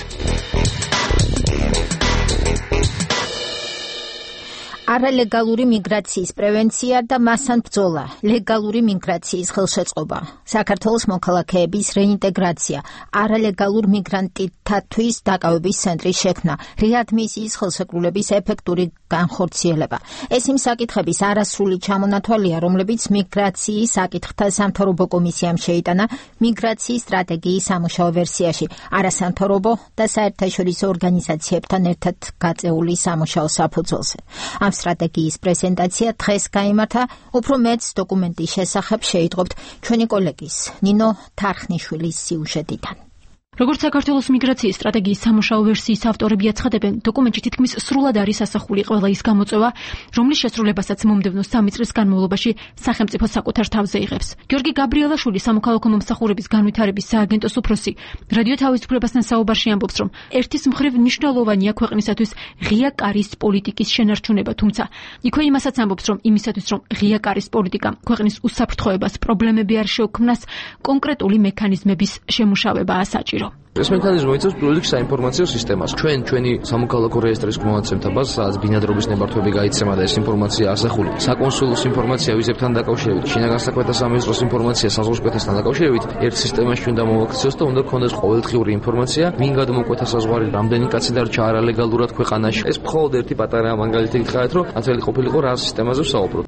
არალეგალური მიგრაციის პრევენცია და მასთან ბრძოლა, ლეგალური მიგრაციის ხელშეწყობა, საქართველოს მოქალაქეების რეინტეგრაცია, არალეგალურ მიგრანტთათვის დაკავების ცენტრის შექმნა, რეადმისიის ხელშეკრულების ეფექტური განხორციელება. ეს იმ საკითხების არასრული ჩამონათვალია, რომლებიც მიგრაციის საკითხთა სამთავრობო კომისიამ შეიტანა მიგრაციის სტრატეგიის სამუშაო ვერსიაში, არასამთავრობო და საერთაშორისო ორგანიზაციებთან ერთად გაწეული სამუშაო საფუძველზე. ამ სტრატეგიის პრეზენტაცია დღეს გაიმართა, უფრო მეც დოკუმენტის შესახებ შეიტყობთ ჩვენი კოლეგის ნინო თარხნიშვილის სიუჟეტიდან. როგორც საქართველოს მიგრაციის სტრატეგიის სამუშაო ვერსიის ავტორები აცხადებენ, დოკუმენტში თითქმის სრულად არის ასახული ყველა ის გამოწვევა, რომლის შესრულებასაც მომდევნო 3 წლის განმავლობაში სახელმწიფო საკუთარ თავზე იღებს. გიორგი გაბრიელაშვილი, სამოქალაქო მომსახურების განვითარების სააგენტოს უფროსი, რადიო თავისუფლებასთან საუბარში ამბობს, რომ ერთის მხრივ მნიშვნელოვანია ქვეყნისათვის ღია კარის პოლიტიკის შენარჩუნება, თუმცა იქვე იმასაც ამბობს, რომ იმისათვის, რომ ღია კარის პოლიტიკა ქვეყნის უსაფრთხოებას, პრობლემები არ შეუქმნას, კონკრეტული მექანიზმების შემუშავებაა საჭირო. ეს მექანიზმი იწვევს პირველ საინფორმაციო სისტემას. ჩვენი სამოქალაქო რეესტრის მომაცემთა ბაზა, სადაც ბინადრობის ნებართვები გაიცემა და ეს ინფორმაცია ასახული. საკონსულოს ინფორმაცია ვიზებთან დაკავშირებით, შინაგან საქმეთა სამინისტროს ინფორმაცია საზღვარგარეთთან დაკავშირებით, ერთ სისტემაში უნდა მოვაქციოს და უნდა გქონდეს ყოველდღიური ინფორმაცია, ვინ გადმოკვეთა საზღვარი, რამდენი კაცი დარჩა არალეგალურად ქვეყანაში. ეს მხოლოდ ერთი პატარა მაგალითი გითხრათ, რომ ათელი ყოფილიყო რა სისტემაზე ვსაუბრობ.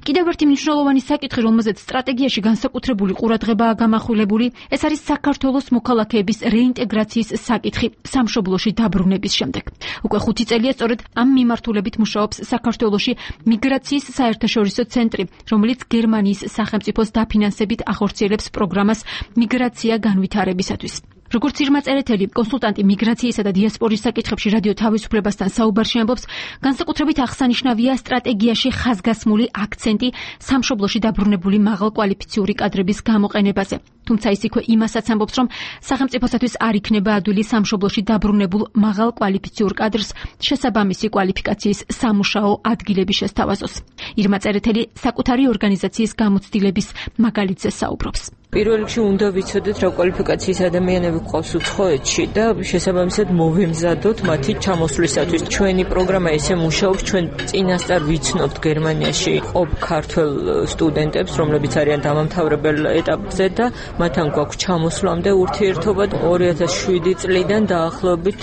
კიდევ ერთი მნიშვნელოვანი საკითხი, რომელზეც სტრატეგიაში განსაკუთრებული ყურადღებაა გამახვილებული, ეს არის საქართველოს მოქალაქეების რეინტეგრაციის საკითხი სამშობლოში დაბრუნების შემდეგ. უკვე 5 წელია სწორედ ამ მიმართულებით მუშაობს საქართველოში მიგრაციის საერთაშორისო ცენტრი, რომელიც გერმანიის სახელმწიფოს დაფინანსებით ახორციელებს პროგრამას მიგრაცია განვითარებისათვის. როგორც ირმა წერეთელი, კონსულტანტი მიგრაციისა და დიასპორის საკითხებში რადიო თავისუფლებასთან საუბარში ამბობს, განსაკუთრებით აღსანიშნავია სტრატეგიაში ხაზგასმული აქცენტი სამშობლოში დაბრუნებული მაღალკვალიფიციური კადრების გამოყენებაზე. თუმცა ის იქვე იმასაც ამბობს, რომ სახელმწიფოსათვის არ იქნება ადვილი სამშობლოში დაბრუნებულ მაღალკვალიფიციურ კადრს შესაბამისი კვალიფიკაციის სამუშაო ადგილები შესთავაზოს. ირმა წერეთელი საკუთარი ორგანიზაციის გამოცდილების მაგალითზე საუბრობს. პირველ რიგში უნდა ვიცოდეთ, რა კვალიფიკაციის ადამიანები გვყავს უცხოეთში და შესაბამისად მოვემზადოთ მათი ჩამოსვლისათვის. ჩვენი პროგრამა ესე მუშაობს, ჩვენ წინასწარ ვიცნობთ გერმანიაში ყოფ ქართველ სტუდენტებს, რომლებიც არიან დამამთავრებელ ეტაპზე და მათთან გვაქვს ჩამოსვლამდე ურთიერთობა. 2007 წლიდან დაახლოებით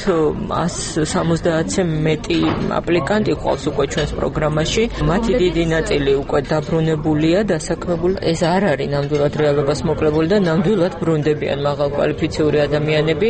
170-ზე მეტი აპლიკანტი გვყავს უკვე ჩვენს პროგრამაში. მათი დიდი ნაწილი უკვე დაბრუნებულია, დასაქმებული. ეს არ არის ნამდვილად რეალობას მოკლებული და ნამდვილად ბრუნდებიან მაღალკვალიფიციური ადამიანები.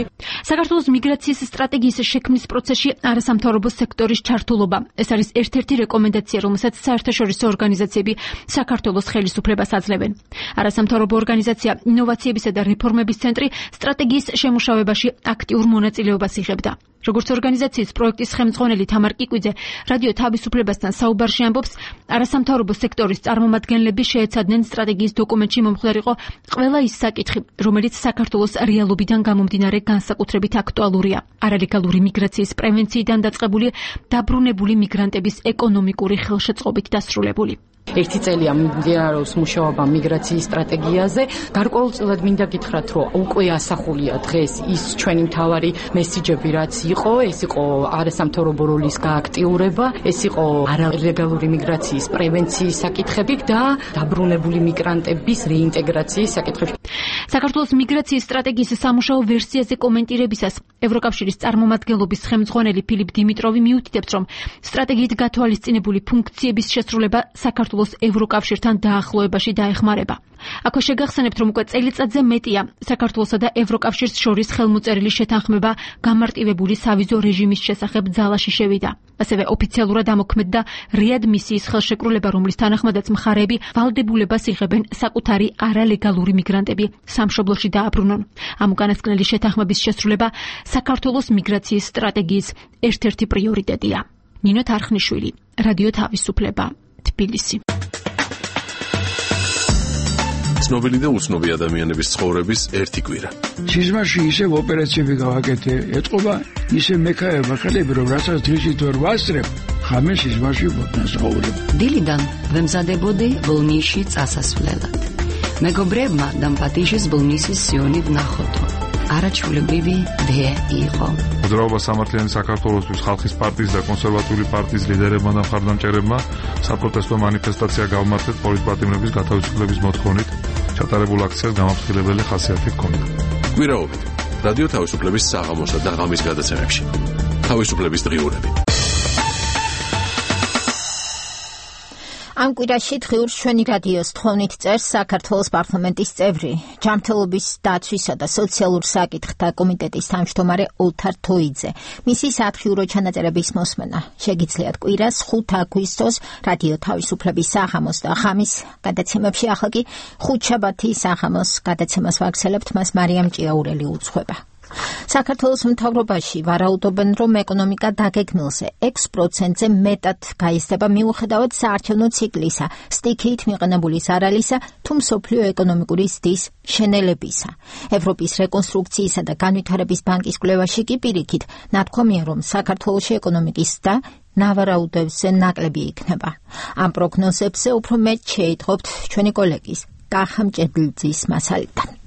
საქართველოს მიგრაციის სტრატეგიის შექმნის პროცესში არასამთავრობო სექტორის ჩართულობა. ეს არის ერთ-ერთი რეკომენდაცია, რომელსაც საერთაშორისო ორგანიზაციები საქართველოს ხელისუფლებას აძლევენ. არასამთავრობო ორგანიზაცია ინოვაციებისა და რეფორმების ცენტრი სტრატეგიის შემუშავებაში აქტიურ მონაწილეობას იღებდა. როგორც ორგანიზაციის პროექტის ხელმძღვანელი თამარ კიკვიძე რადიო თავისუფლებასთან საუბარში ამბობს, არასამთავრობო სექტორის წარმომადგენლები შეეცადნენ სტრატეგიის დოკუმენტში მომხდარიყო ყველა ის საკითხი, რომელიც საქართველოს რეალობიდან გამომდინარე განსაკუთრებით აქტუალურია. არალეგალური მიგრაციის პრევენციიდან დაწყებული დაბრუნებული მიგრანტების ეკონომიკური ხელშეწყობით დასრულებული. ერთი წელია მიმდინარეობს მუშაობა მიგრაციის სტრატეგიაზე. გარკვეულწილად მინდა გითხრათ, რომ უკვე ასახულია დღეს ის ჩვენი მთავარი მესიჯები, რაც იყო, ეს იყო არასამთავრობო როლის გააქტიურება, ეს იყო არალეგალური მიგრაციის პრევენციის საკითხები და დაბრუნებული მიგრანტების რეინტეგრაციის საკითხები. საქართველოს მიგრაციის სტრატეგიის სამუშაო ვერსიაზე კომენტირებისას ევროკავშირის წარმომადგენლობის ხელმძღვანელი ფილიპ დიმიტროვი მიუთითებს, რომ სტრატეგიით გათვალისწინებული ფუნქციების შესრულება საქართველოს ევროკავშირთან დაახლოებაში დაეხმარება. აქვე შეგახსენებთ, რომ უკვე წელიწადზე მეტია საქართველოსა და ევროკავშირს შორის ხელმოწერილი შეთანხმება გამარტივებული სავიზო რეჟიმის შესახებ ძალაში შევიდა. ასევე ოფიციალურად ამოქმედდა რეადმისიის ხელშეკრულება, რომლის თანახმადაც მხარეები ვალდებულებას იღებენ საკუთარი არალეგალური მიგრანტები სამშობლოში დააბრუნონ. ამ უკანასკნელი შეთანხმების შესრულება საქართველოს მიგრაციის სტრატეგიის ერთ-ერთი პრიორიტეტია. ნინო თარხნიშვილი, რადიო თავისუფლება, თბილისი. ცნობილი და უცნობი ადამიანების ცხოვრების ერთი კვირა. სიზმარში ისევ ოპერაციები გავაკეთე, ეთყობა ისე მექაება ხელები, რომ რასაც დღისით ვერ ვასწრებ, ხამე სიზმარში ვთნასაუბრებ. დილიდან ვემზადებოდი ბოლნისში წასასვლელად. მეგობრებმა დამპატიშის ბოლნისის სიონი ვნახოთო. არაჩვეულებრივი დე იყო. მოძრაობა სამართლიანი საქართველოსთვის ხალხის პარტიის და კონსერვატიული პარტიის ლიდერებმა და მხარდამჭერებმა საპროტესტო მანიფესტაცია გავმართეთ პოლიტპატიმრების გათავისუფლების მოთხოვნით. ჩატარებულ აქციას გამაფრთხილებელი ხასიათი ჰქონდა. კვირაობით რადიო თავისუფლების საღამოსა და ღამის გადაცემებში. თავისუფლების დღიურები. ამ კვირაში დღიურს ჩვენი რადიოს თხოვნით წერს საქართველოს პარლამენტის წევრი, ჯანმრთელობის დაცვისა და სოციალურ საკითხთა კომიტეტის თავმჯდომარე ოლთარ თოიძე. მისი სათხიურო ჩანაწერების მოსმენა შეგიძლიათ კვირას 5 აგვისტოს რადიო თავისუფლების საღამოს და ღამის გადაცემებში. ახლა კი ხუთშაბათი საღამოს გადაცემას ვაგრძელებთ, მას მარიამ ჭიაურელი უძღვება. საქართველოს მთავრობაში ვარაუდობენ, რომ ეკონომიკა დაგეგმილზე 6%-ზე მეტად გაიზრდება მიუხედავად საარჩევნო ციკლისა, სტიქიით მიყენებული ზარალისა თუ მსოფლიო ეკონომიკური ზრდის შენელებისა. ევროპის რეკონსტრუქციისა და განვითარების ბანკის კვლევაში კი პირიქით ნათქვამია, რომ საქართველოში ეკონომიკის ზრდა ნავარაუდებზე ნაკლები იქნება. ამ პროგნოზებზე უფრო მეტ შეიტყობთ ჩვენი კოლეგის კახა მჭედლიძის მასალიდან.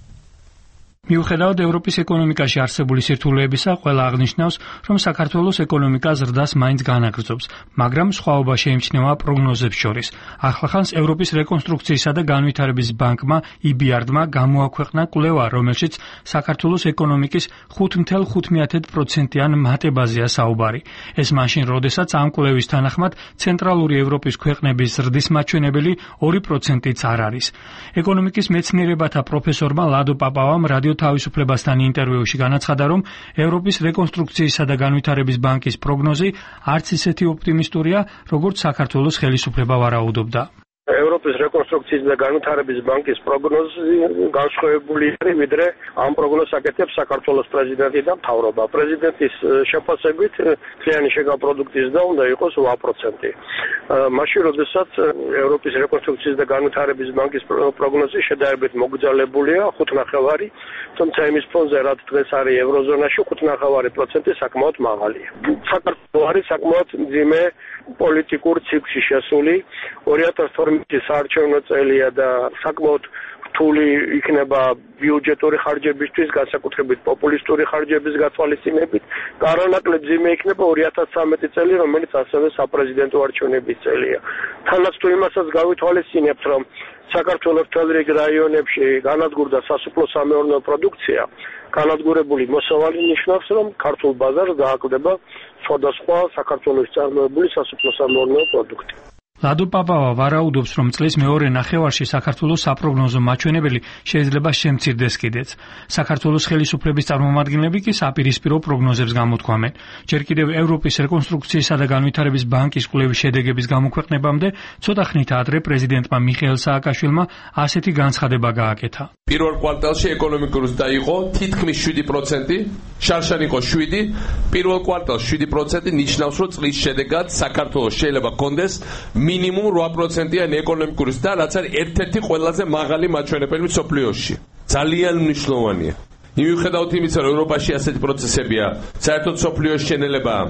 მიუხედავად ევროპის ეკონომიკაში არსებული სირთულეებისა, ყველა აღნიშნავს, რომ საქართველოს ეკონომიკა ზრდას მაინც განაგრძობს, მაგრამ სხვაობა შეიმჩნევა პროგნოზებს შორის. ახლახანს ევროპის რეკონსტრუქციისა და განვითარების ბანკმა EBRD-მა გამოაქვეყნა კვლევა, რომელშიც საქართველოს ეკონომიკის 5.5%-იან მატებაზეა საუბარი. ეს მაშინ, როდესაც ამ კვლევის თანახმად ცენტრალური ევროპის ქვეყნების ზრდის მაჩვენებელი 2%-იც არ არის. ეკონომიკის მეცნიერებათა პროფესორმა ლადო პაპავამ რადიო თავისუფლებასთან ინტერვიუში განაცხადა, რომ ევროპის რეკონსტრუქციისა და განვითარების ბანკის პროგნოზი არც ისეთი ოპტიმისტურია, როგორც საქართველოს ხელისუფლება ვარაუდობდა. ევროპის რეკონსტრუქციის და განვითარების ბანკის პროგნოზი განსხვავებული არის, ვიდრე ამ პროგნოზს აკეთებს საქართველოს პრეზიდენტი და მთავრობა. პრეზიდენტის შეფასებით მთლიანი შეკავ პროდუქტის ზრდა უნდა იყოს 8%. მაშინ, როდესაც ევროპის რეკონსტრუქციის და განვითარების ბანკის პროგნოზი შედარებით მოგრძალებულია 5.5%, თუმცა იმის ფონზე, რაც დღეს არის ევროზონაში, 5.5% საკმაოდ მაღალია. საქართველო არის საკმაოდ მძიმე პოლიტიკურ ციკლში შესული. 2012 საარჩევნო წელია და საკმაოდ რთული იქნება ბიუჯეტური ხარჯებისთვის, განსაკუთრებით პოპულისტური ხარჯების გათვალისწინებით. გარანაკლებ მძიმე იქნება 2013 წელი, რომელიც ასევე საპრეზიდენტო არჩევნების წელია. თანაც თუ იმასაც გავითვალისწინებთ, რომ საქართველოს მთელ რიგ რაიონებში განადგურდა სასოფლო-სამეურნეო პროდუქცია, განადგურებული მოსავალი ნიშნავს, რომ ქართულ ბაზარს დააკლდება სხვადასხვა საქართველოს წარმოებული სასოფლო-სამეურნეო პროდუქტი. ლადო პაპავა ვარაუდობს, რომ წლის მეორე ნახევარში საქართველოს საპროგნოზო მაჩვენებელი შეიძლება შემცირდეს კიდეც. საქართველოს ხელისუფლების წარმომადგენლები კი საპირისპირო პროგნოზებს გამოთქვამენ. ჯერ კიდევ ევროპის რეკონსტრუქციისა და განვითარების ბანკის კვლევის შედეგების გამოქვეყნებამდე ცოტა ხნით ადრე პრეზიდენტმა მიხეილ სააკაშვილმა ასეთი განცხადება გააკეთა. პირველ კვარტალში ეკონომიკური ზრდა იყო თითქმის 7%, შარშან იყო 7%, პირველ კვარტალში 7% ნიშნავს, რომ წლის შედეგად საქართველოს შეიძლება გქონდეს მინიმუმ 8%-იანი ეკონომიკური ზრდა, რაც არის ერთ-ერთი ყველაზე მაღალი მაჩვენებელი მსოფლიოში. ძალიან მნიშვნელოვანია. მიუხედავად იმისა, რომ ევროპაში ასეთი პროცესებია, საერთოდ მსოფლიოს შენელებაა.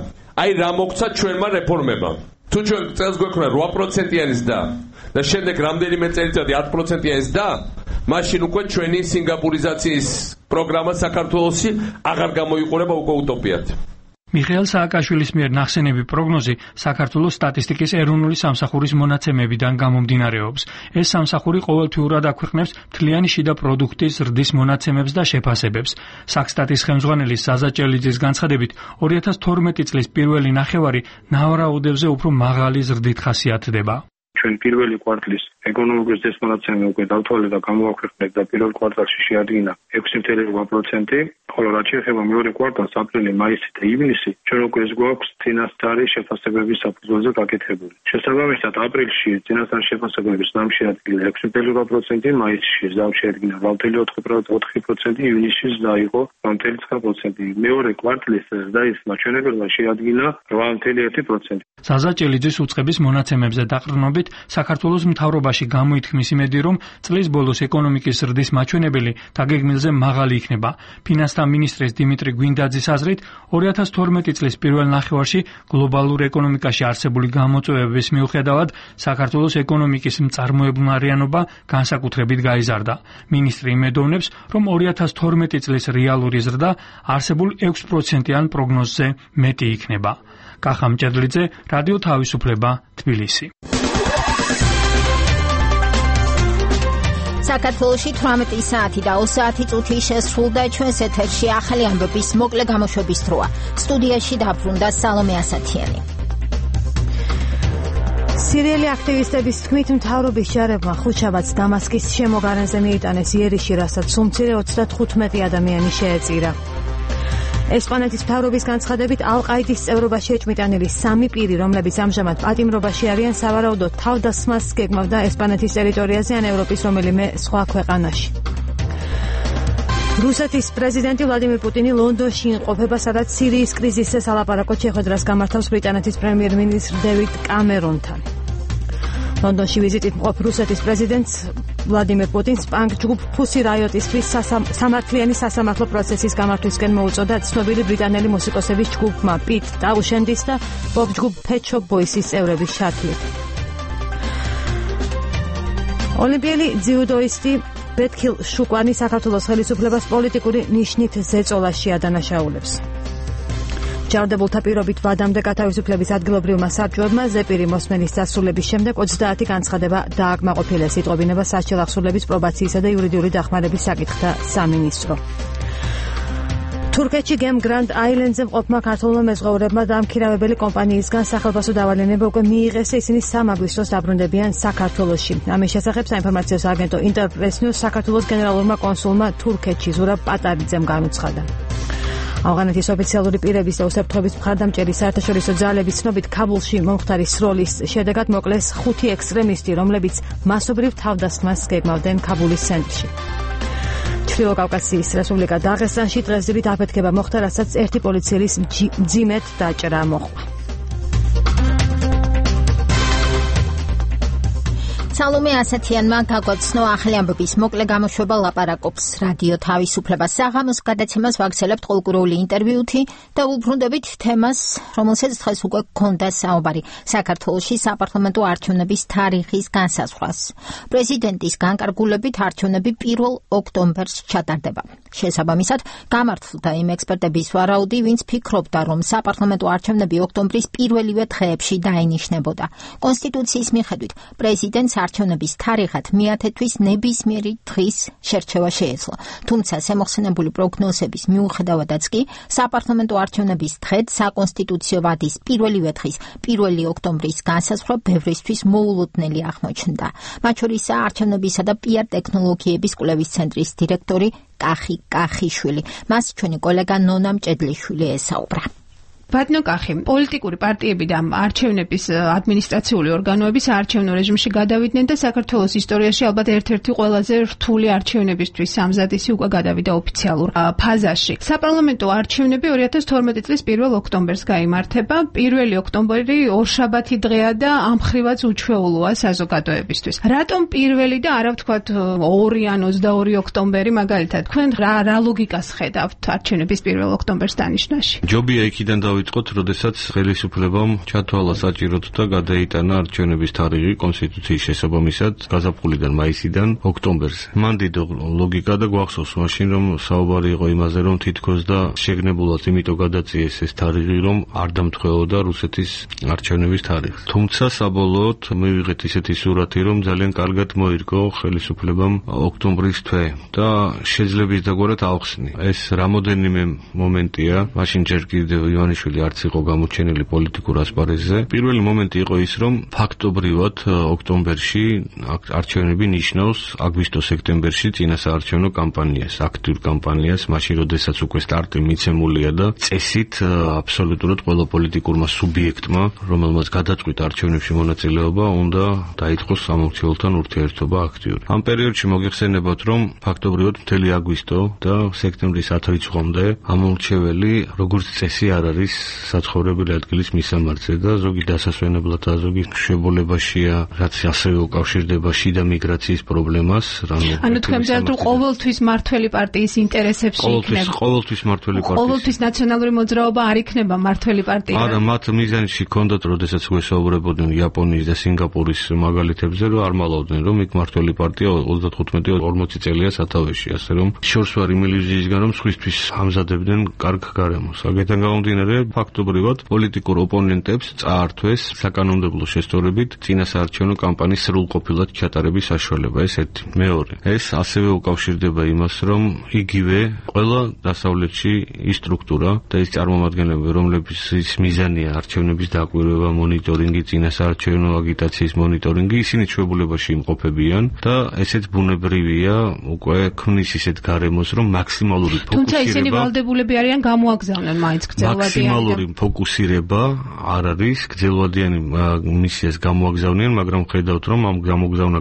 აი რა მოგცა ჩვენმა რეფორმებამ. თუ ჩვენ წელს გვექნა 8%-იანი ზრდა და შემდეგ რამდენიმე წელიწადი 10%-იანი ზრდა, მაშინ უკვე ჩვენი სინგაპურიზაციის პროგრამა საქართველოსი აღარ გამოიყურება უკვე უტოპიად. მიხეილ სააკაშვილის მიერ ნახსენები პროგნოზი საქართველოს სტატისტიკის ეროვნული სამსახურის მონაცემებიდან გამომდინარეობს. ეს სამსახური ყოველთვიურად აქვეყნებს მთლიანი შიდა პროდუქტის ზრდის მონაცემებს და შეფასებებს. საქსტატის ხელმძღვანელი საზა ჭელიძის განცხადებით, 2012 წლის პირველი ნახევარი ნავარაუდებზე უფრო მაღალი ზრდით ხასიათდება. ჩვენ პირველი კვარტლის ეკონომიკის დესმონაცემი უკვე დავთვალეთ და გამოაქვეყნეთ და პირველ კვარტალში შეადგინა 6.8%, ხოლო რაც შეეხება მეორე კვარტალს, აპრილი, მაისი და ივნისი, ჩვენ უკვე გვაქვს წინასწარი შეფასებების საფუძველზე გაკეთებული. შესაბამისად, აპრილში წინასწარი შეფასებების ზამში ადგილა 6.8%, მაისში ზამში ადგილა 8.4%, ივნისში დაიყო 8.9%. მეორე კვარტლის ზრდის მაჩვენებლება შეადგინა 8.1%. საზა ჭელიძის უწყების მონაცემებზე დაყრდნობით, საქართველოს მთავრობაში გამოითქმის იმედი, რომ წლის ბოლოს ეკონომიკის ზრდის მაჩვენებელი დაგეგმილზე მაღალი იქნება. ფინანსთა მინისტრის დიმიტრი გვინდაძის აზრით, 2012 წლის პირველ ნახევარში გლობალურ ეკონომიკაში არსებული გამოწვევების მიუხედავად, საქართველოს ეკონომიკის მწარმოებულნარიანობა განსაკუთრებით გაიზარდა. მინისტრი იმედოვნებს, რომ 2012 წლის რეალური ზრდა არსებულ 6%-იან პროგნოზზე მეტი იქნება. კახა მჭედლიძე, რადიო თავისუფლება, თბილისი. საქართველოში 18 საათი და 20 საათი შესრულდა ჩვენს ეთერში ახალი ამბების მოკლე გამოშვების დროა. სტუდიაში დაბრუნდა სალომე ასათიანი. სირიელი აქტივისტების თქმით, მთავრობის ჯარებმა ხუთშაბათს დამასკის შემოგარენზე მიიტანეს იერიში, რასაც სულ მცირე 35 ადამიანი შეეწირა. ესპანეთის მთავრობის განცხადებით, ალ-ყაიდის წევრობაში ეჭმიტანილი 3 პირი, რომლებიც ამჟამად პატიმრობაში არიან, სავარაუდოდ თავდასხმას გეგმავდა ესპანეთის ტერიტორიაზე ან ევროპის რომელიმე სხვა ქვეყანაში. რუსეთის პრეზიდენტი ვლადიმირ პუტინი ლონდონში იმყოფება, სადაც სირიის კრიზისზე სალაპარაკოდ შეხვედრას გამართავს ბრიტანეთის პრემიერ-მინისტრ დევიდ კამერონთან. ლონდონში ვიზიტით მყოფ რუსეთის პრეზიდენტს ვლადიმირ პუტინს პანკ-ჯგუფ ფუსი რაიოტისთვის სამართლიანი სასამართლო პროცესის გამართვისკენ მოუწოდა ცნობილი ბრიტანელი მუსიკოსების ჯგუფმა პიტ ტაუშენდის და პოპ ჯგუფ Pet Shop Boys-ის წევრების შარდლით. ოლიმპიელი ძიუდოისტი ბეთქილ შუკვანი საქართველოს ხელისუფლებას პოლიტიკური ნიშნით ზეწოლაში ადანაშაულებს. ჯარდებულთა პირობით ვადამდე გათავისუფლების ადგილობრივმა საბჭოებმა ზეპირი მოსმენის დასრულების შემდეგ 30 განცხადება დააკმაყოფილეს, იტყობინება სასჯელ აღსრულების პრობაციისა და იურიდიული დახმარების საკითხთა სამინისტრო. თურქეთში გემ გრანდ აილენდზე მყოფმა ქართულმა მეზღვაურებმა დამქირავებელი კომპანიისგან სახელმწიფო დავალენება უკვე მიიღეს, ისინი 3 აგვისტოს დაბრუნდებიან საქართველოში. ამის შესახებ საინფორმაციო სააგენტო ინტერპრეს ნიუს საქართველოს გენერალურმა კონსულმა თურქეთში ზურაბ პატარიძემ განუცხადა. ავღანეთის ოფიციალური პირების და უსაფრთხოების მხარდამჭერი საერთაშორისო ძალების ცნობით, ქაბულში მომხდარი სროლის შედეგად მოკლეს 5 ექსტრემისტი, რომლებიც მასობრივ თავდასხმას გეგმავდნენ ქაბულის ცენტრში. ჩრდილო კავკასიის რესპუბლიკა დაღესტანში დღეს დილით აფეთქება მოხდა, რასაც ერთი პოლიციელის მძიმედ დაჭრა მოჰყვა. სალომე ასათიანმა გაგვაცნო ახალი ამბების მოკლე გამოშვება ლაპარაკობს რადიო თავისუფლება. საღამოს გადაცემას ვაგრძელებთ ყოლკურული ინტერვიუთი და უბრუნდებით თემას, რომელსაც დღეს უკვე გქონდა საუბარი, საქართველოში საპარლამენტო არჩევნების თარიღის განსაზღვრას. პრეზიდენტის განკარგულებით არჩევნები 1 ოქტომბერს ჩატარდება. შესაბამისად, გამართლდა იმ ექსპერტების ვარაუდი, ვინც ფიქრობდა, რომ საპარლამენტო არჩევნები ოქტომბრის პირველივე დღეებში დაინიშნებოდა. კონსტიტუციის მიხედვით, პრეზიდენტს არჩევნების თარიღად მეათე თვის ნებისმიერი დღის შერჩევა შეეძლო. თუმცა შემოხსენებული პროგნოზების მიუხედავადაც კი საპარლამენტო არჩევნების დღედ საკონსტიტუციო ვადის პირველივე დღის 1 ოქტომბრის განსაზღვრა ბევრისთვის მოულოდნელი აღმოჩნდა. მათ შორისაა არჩევნებისა და PR ტექნოლოგიების კვლევის ცენტრის დირექტორი კახი კახიშვილი. მას ჩვენი კოლეგა ნონა მჭედლიშვილი ესაუბრა. ბატონო კახი, პოლიტიკური პარტიები და არჩევნების ადმინისტრაციული ორგანოები საარჩევნო რეჟიმში გადავიდნენ და საქართველოს ისტორიაში ალბათ ერთ-ერთი ყველაზე რთული არჩევნებისთვის სამზადისი უკვე გადავიდა ოფიციალურ ფაზაში. საპარლამენტო არჩევნები 2012 წლის 1 ოქტომბერს გაიმართება. 1 ოქტომბერი ორშაბათი დღეა და ამ ხრივაც უჩვეულოა საზოგადოებისთვის. რატომ პირველი და არა ვთქვათ 2 ან 22 ოქტომბერი მაგალითად? თქვენ რა ლოგიკას ხედავთ არჩევნების 1 ოქტომბერს დანიშნაში? ჯობია იქიდან დავიწყოთ, როდესაც ხელისუფლებამ ჩათვალა საჭიროდ და გადაიტანა არჩევნების თარიღი კონსტიტუციის შესაბამისად გაზაფხულიდან მაისიდან ოქტომბერზე. მან დიდ ლოგიკა და გვახსოვს მაშინ, რომ საუბარი იყო იმაზე, რომ თითქოს და შეგნებულად იმიტომ გადაწიეს ეს თარიღი, რომ არ დამთხეოდა რუსეთის არჩევნების თარიღს. თუმცა საბოლოოდ მივიღეთ ისეთი სურათი, რომ ძალიან კარგად მოირგო ხელისუფლებამ ოქტომბრის თვე და შეძლებს დაგვარად ავხსნი. ეს რამოდენიმე მომენტია, მაშინ ჯერ კიდევ ივანიშვილი არც იყო გამოჩენილი პოლიტიკურ ასპარეზზე. პირველი მომენტი იყო ის, რომ ფაქტობრივად ოქტომბერში არჩევნები ნიშნავს აგვისტო-სექტემბერში წინასაარჩევნო კამპანიას, აქტიურ კამპანიას, მაშინ როდესაც უკვე სტარტი მიცემულია და წესით აბსოლუტურად ყველა პოლიტიკურმა სუბიექტმა, რომელმაც გადაწყვიტა არჩევნებში მონაწილეობა, უნდა დაიწყოს სამომცველთან ურთიერთობა აქტიური. ამ პერიოდში მოგეხსენებათ, რომ ფაქტობრივად მთელი აგვისტო და სექტემბრის 10 რიცხვამდე ამორჩეველი როგორც წესი არ არის საცხოვრებელი ადგილის მისამართზე და ზოგი დასასვენებლად და ზოგი მშობლებაშია, რაც ასევე უკავშირდება შიდა მიგრაციის პრობლემას. ანუ თქვენ ძალთ რომ ყოველთვის მართველი პარტიის ინტერესებში იქნება. ყოველთვის მართველი პარტიის. ყოველთვის ნაციონალური მოძრაობა არ იქნება მართველი პარტია. არა, მათ მიზანში ჰქონდათ, როდესაც ვესაუბრებოდნენ იაპონიის და სინგაპურის მაგალითებზე, რომ არ მალავდნენ, რომ იქ მართველი პარტია 35-40 წელია სათავეში, ასე რომ შორს ვარ იმ ილუზიისგან, რომ სხვისთვის ამზადებდნენ კარგ გარემოს. აქედან გამომდინარე, ფაქტობრივად პოლიტიკურ ოპონენტებს წაართვეს საკანონმდებლო შესწორებით წინასაარჩევნო კამპანიის სრულყოფილად ჩატარების საშუალება. ეს ერთი. მეორე, ეს ასევე უკავშირდება იმას, რომ იგივე ყველა დასავლეთში ის სტრუქტურა და ის წარმომადგენლები, რომლებიც მიზანია არჩევნების დაკვირვება, მონიტორინგი, წინასაარჩევნო აგიტაციის მონიტორინგი, ისინი ჩვეულებაში იმყოფებიან და ესეც ბუნებრივია, უკვე ქმნის ისეთ გარემოს, რომ მაქსიმალური ფოკუსირება. თუმცა ისინი ვალდებულები არიან გამოაგზავნონ მაინც გრძელვადიანი. მაქსიმალური ფოკუსირება არ არის, გრძელვადიანი მისიას გამოაგზავნიან, მაგრამ ხედავთ, რომ ამ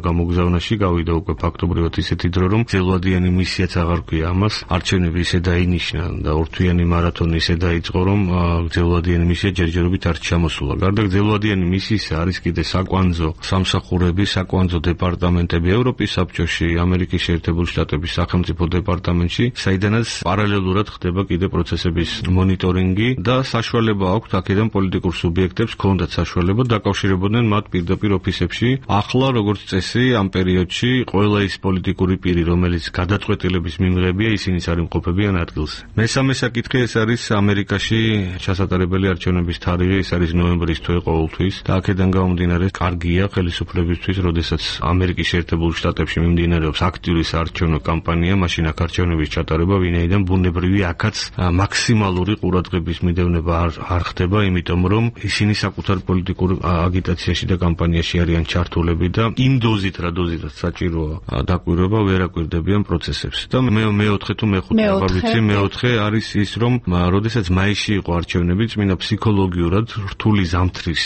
გამოგზავნაში გავიდა უკვე ფაქტობრივად ისეთი დრო, რომ გრძელვადიანი მისიაც აღარ ქვია ამას. არჩევნები ისე დაინიშნა და ორთვიანი მარათონი ისე დაიწყო, რომ გრძელვადიანი მისია ჯერჯერობით არ ჩამოსულა. გარდა გრძელვადიანი მისიისა არის კიდე საკვანძო სამსახურები, საკვანძო დეპარტამენტები ევროპის საბჭოში, ამერიკის შეერთებული შტატების სახელმწიფო დეპარტამენტში, საიდანაც პარალელურად ხდება კიდე პროცესების მონიტორინგი და საშუალება აქვთ აქედან პოლიტიკურ სუბიექტებს ჰქონდათ საშუალება დაკავშირებოდნენ მათ პირდაპირ ოფისებში. ახლა როგორც წესი ამ პერიოდში ყველა ის პოლიტიკური პირი, რომელიც გადაწყვეტილების მიმღებია, ისინიც არ იმყოფებიან ადგილზე. მესამე საკითხი ეს არის ამერიკაში ჩასატარებელი არჩევნების თარიღი, ეს არის ნოემბრის თვე ყოველთვის და აქედან გამომდინარე კარგია ხელისუფლებისთვის, როდესაც ამერიკის შეერთებულ შტატებში მიმდინარეობს აქტიური საარჩევნო კამპანია, მაშინ აქ არჩევნების ჩატარება, ვინაიდან ბუნებრივი აქაც მაქსიმალური ყურადღების მიდევნება არ ხდება, იმიტომ რომ ისინი საკუთარ პოლიტიკურ აგიტაციაში და კამპანიაში არიან ჩართულები და იმ დოზით, რა დოზითაც საჭიროა დაკვირვება, ვერ აკვირდებიან პროცესებს. და მეოთხე თუ მეხუთე აღარ ვიცი, მეოთხე არის ის, რომ როდესაც მაისში იყო არჩევნები, წმინდა ფსიქოლოგიურად რთული ზამთრის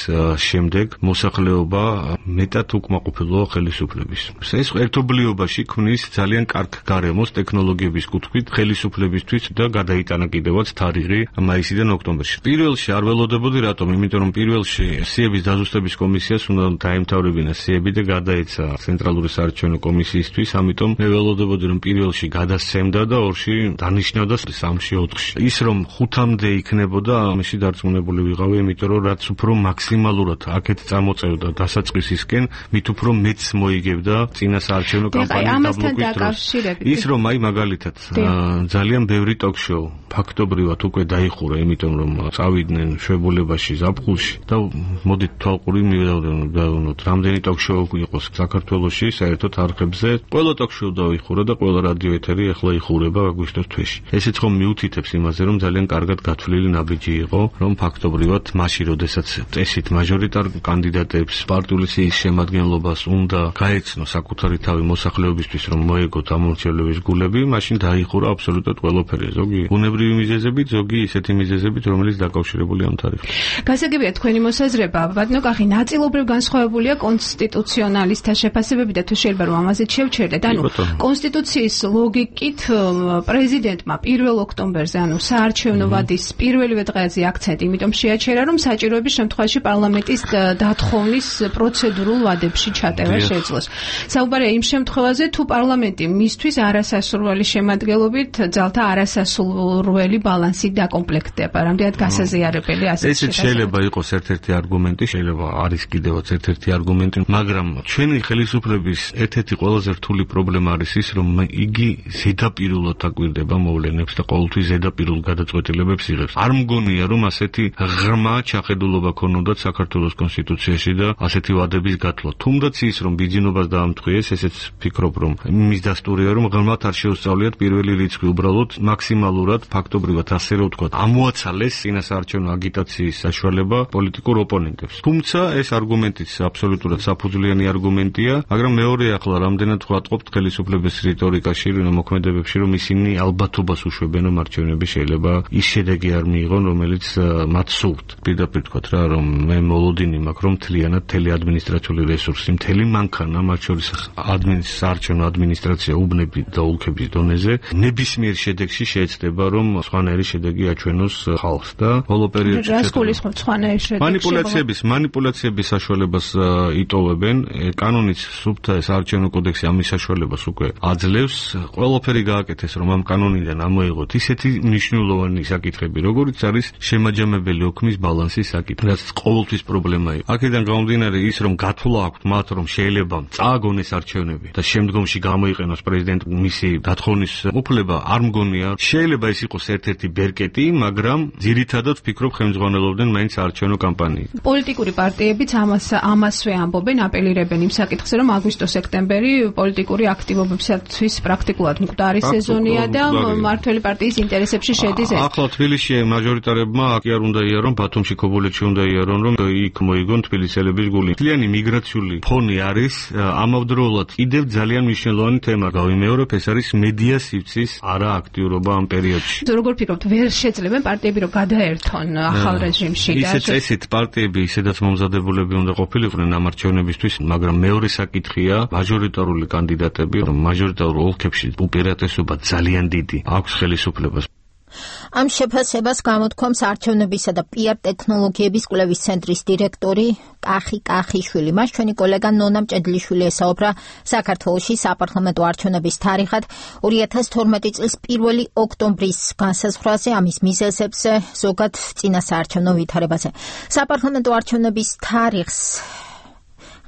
შემდეგ მოსახლეობა მეტად უკმაყოფილოა ხელისუფლების. ეს ერთობლიობაში ქმნის ძალიან კარგ გარემოს ტექნოლოგიების კუთხით ხელისუფლებისთვის და გადაიტანა კიდევაც თარიღი მაისიდან ოქტომბერში. პირველში არ ველოდებოდი რატომ? იმიტომ რომ პირველში სიების დაზუსტების კომისიას უნდა დაემთავრებინა სიები და გადაეცა ცენტრალური საარჩევნო კომისიისთვის, ამიტომ მე ველოდებოდი რომ პირველში გადასცემდა და ორში დანიშნავდა 3-ში 4-ში. ის რომ 5-მდე იქნებოდა, ამაში დარწმუნებული ვიყავი, იმიტომ რომ რაც უფრო მაქსიმალურად აქეთ წამოწევდა დასაწყისისკენ, მით უფრო მეც მოიგებდა წინასაარჩევნო კამპანიის დაბლოკვის დროს. ის რომ აი მაგალითად ძალიან ბევრი ტოქ-შოუ ფაქტობრივად უკვე დაიხურა, იმიტომ რომ წავიდნენ შვებულებაში ზაფხულში და მოდით თვალყური მივდავნოთ, რამდენი ტოქ-შოუ იყოს საქართველოში საერთოდ არხებზე. ყველა ტოქ-შოუ დაიხურა და ყველა რადიო ეთერი ახლა იხურება აგვისტოს თვეში. ესეც ხომ მიუთითებს იმაზე, რომ ძალიან კარგად გათვლილი ნაბიჯი იყო, რომ ფაქტობრივად მაშინ, როდესაც წესით მაჟორიტარ კანდიდატებს პარტიული სიის შემადგენლობას უნდა გაეცნო საკუთარი თავი მოსახლეობისთვის, რომ მოეგოთ ამორჩევლების გულები, მაშინ დაიხურა აბსოლუტურად ყველაფერი. ზოგი ბუნებრივი მიზეზებით, ზოგი ისეთი მიზეზებით, რომელიც დაკავშირებულია ამ თარიღთან. გასაგებია თქვენი მოსაზრება, ბატონო კახი, ნაწილობრივ განსხვავებულია კონსტიტუციონალისტთა შეფასებები და თუ შეიძლება რომ ამაზეც შევჩერდეთ, ანუ კონსტიტუციის ლოგიკით პრეზიდენტმა 1 ოქტომბერზე, ანუ საარჩევნო ვადის პირველივე დღეზე აქცენტი, იმიტომ შეაჩერა, რომ საჭიროების შემთხვევაში პარლამენტის დათხოვნის პროცედურულ ვადებში ჩატევა შეძლოს. საუბარია იმ შემთხვევაზე, თუ პარლამენტი მისთვის არასასურველი შემადგენლობით ძალთა არასასურველი ბალანსით დაკომპლექტდება, ნამდვილად გასაზიარებელი ასეთი ეს შეიძლება იყოს ერთ-ერთი არგუმენტი, შეიძლება არის კიდევაც ერთ-ერთი არგუმენტი, მაგრამ ჩვენი ხელისუფლების ერთ-ერთი ყველაზე რთული პრობლემა არის ის, რომ იგი ზედაპირულად აკვირდება მოვლენებს და ყოველთვის ზედაპირულ გადაწყვეტილებებს იღებს. არ მგონია, რომ ასეთი ღრმა ჩახედულობა ქონოდათ საქართველოს კონსტიტუციაში და ასეთი ვადების გათვლა. თუმდაც ის, რომ ბიძინობას დაამტყიეს, ესეც ფიქრობ, რომ იმის დასტურია, რომ ღრმად არ შეუსწავლიათ პირველი რიცხვი, უბრალოდ მაქსიმალურად ფაქტობრივად ასე რომ ვთქვათ, ამოაცალეს წინასაარჩევნო აგიტაციის საშუალება პოლიტიკურ ოპონენტებს. თუმცა ეს არგუმენტიც აბსოლუტურად საფუძვლიანი არგუმენტია, მაგრამ მეორე ახლა რამდენად ვატყობთ ხელისუფლების რიტორიკაში, მოქმედებებში, რომ ისინი ალბათობას უშვებენ, რომ არჩევნები შეიძლება ის შედეგი არ მიიღონ, რომელიც მათ სურთ. პირდაპირ ვთქვათ რა, რომ მე მოლოდინი მაქვს, რომ მთლიანად მთელი ადმინისტრაციული რესურსი, მთელი მანქანა, მათ შორის საარჩევნო ადმინისტრაცია უბნები და ოლქების დონეზე ნებისმიერ შედეგში შეეცდება, რომ სხვანაირი შედეგი აჩვენოს ხალხს და ბოლო პერიოდში მანიპულაციების საშუალებას იტოვებენ. კანონიც სუფთა საარჩევნო კოდექსი ამის საშუალებას უკვე აძლევს. ყველაფერი გააკეთეს, რომ ამ კანონიდან ამოიღოთ ისეთი მნიშვნელოვანი საკითხები, როგორიც არის შემაჯამებელი ოქმის ბალანსის საკითხი, რაც ყოველთვის პრობლემა იყო. აქედან გამომდინარე ის, რომ გათვლა აქვთ მათ, რომ შეიძლება წააგონ ეს არჩევნები და შემდგომში გამოიყენოს პრეზიდენტ მისი დათხოვნის უფლება, არ მგონია. შეიძლება ეს იყოს ერთ-ერთი ბერკეტი, მაგრამ ძირითადად ვფიქრობ, ხელმძღვანელობდნენ მაინც საარჩევნო კამპანიით. პოლიტიკური პარტიებიც ამასვე ამბობენ, აპელირებენ იმ საკითხზე, რომ აგვისტო-სექტემბერი პოლიტიკური აქტივობებისათვის პრაქტიკულად მკვდარი სეზონია და მმართველი პარტიის ინტერესებში შედის ეს. ახლა თბილისში მაჟორიტარებმა კი არ უნდა იარონ, ბათუმში, ქობულეთში უნდა იარონ, რომ იქ მოიგონ თბილისელების გული. მთლიანი მიგრაციული ფონი არის ამავდროულად კიდევ ძალიან მნიშვნელოვანი თემა. გავიმეორებ, ეს არის მედია სივრცის არააქტიურობა ამ პერიოდში. როგორ ფიქრობთ, ვერ შეძლებენ პარტიები რომ გადაერთონ ახალ რეჟიმში და ისეთ წესით პარტიები ისედაც მომზადებულები უნდა ყოფილიყვნენ ამ არჩევნებისთვის, მაგრამ მეორე საკითხია მაჟორიტარული კანდიდატები, რომ მაჟორიტარულ ოლქებში უპირატესობა ძალიან დიდი აქვს ხელისუფლებას. ამ შეფასებას გამოთქვამს არჩევნებისა და PR ტექნოლოგიების კვლევის ცენტრის დირექტორი კახიშვილი. მას ჩვენი კოლეგა ნონა მჭედლიშვილი ესაუბრა საქართველოში საპარლამენტო არჩევნების თარიღად 2012 წლის 1 ოქტომბრის განსაზღვრაზე, ამის მიზეზებზე, ზოგად წინასაარჩევნო ვითარებაზე. საპარლამენტო არჩევნების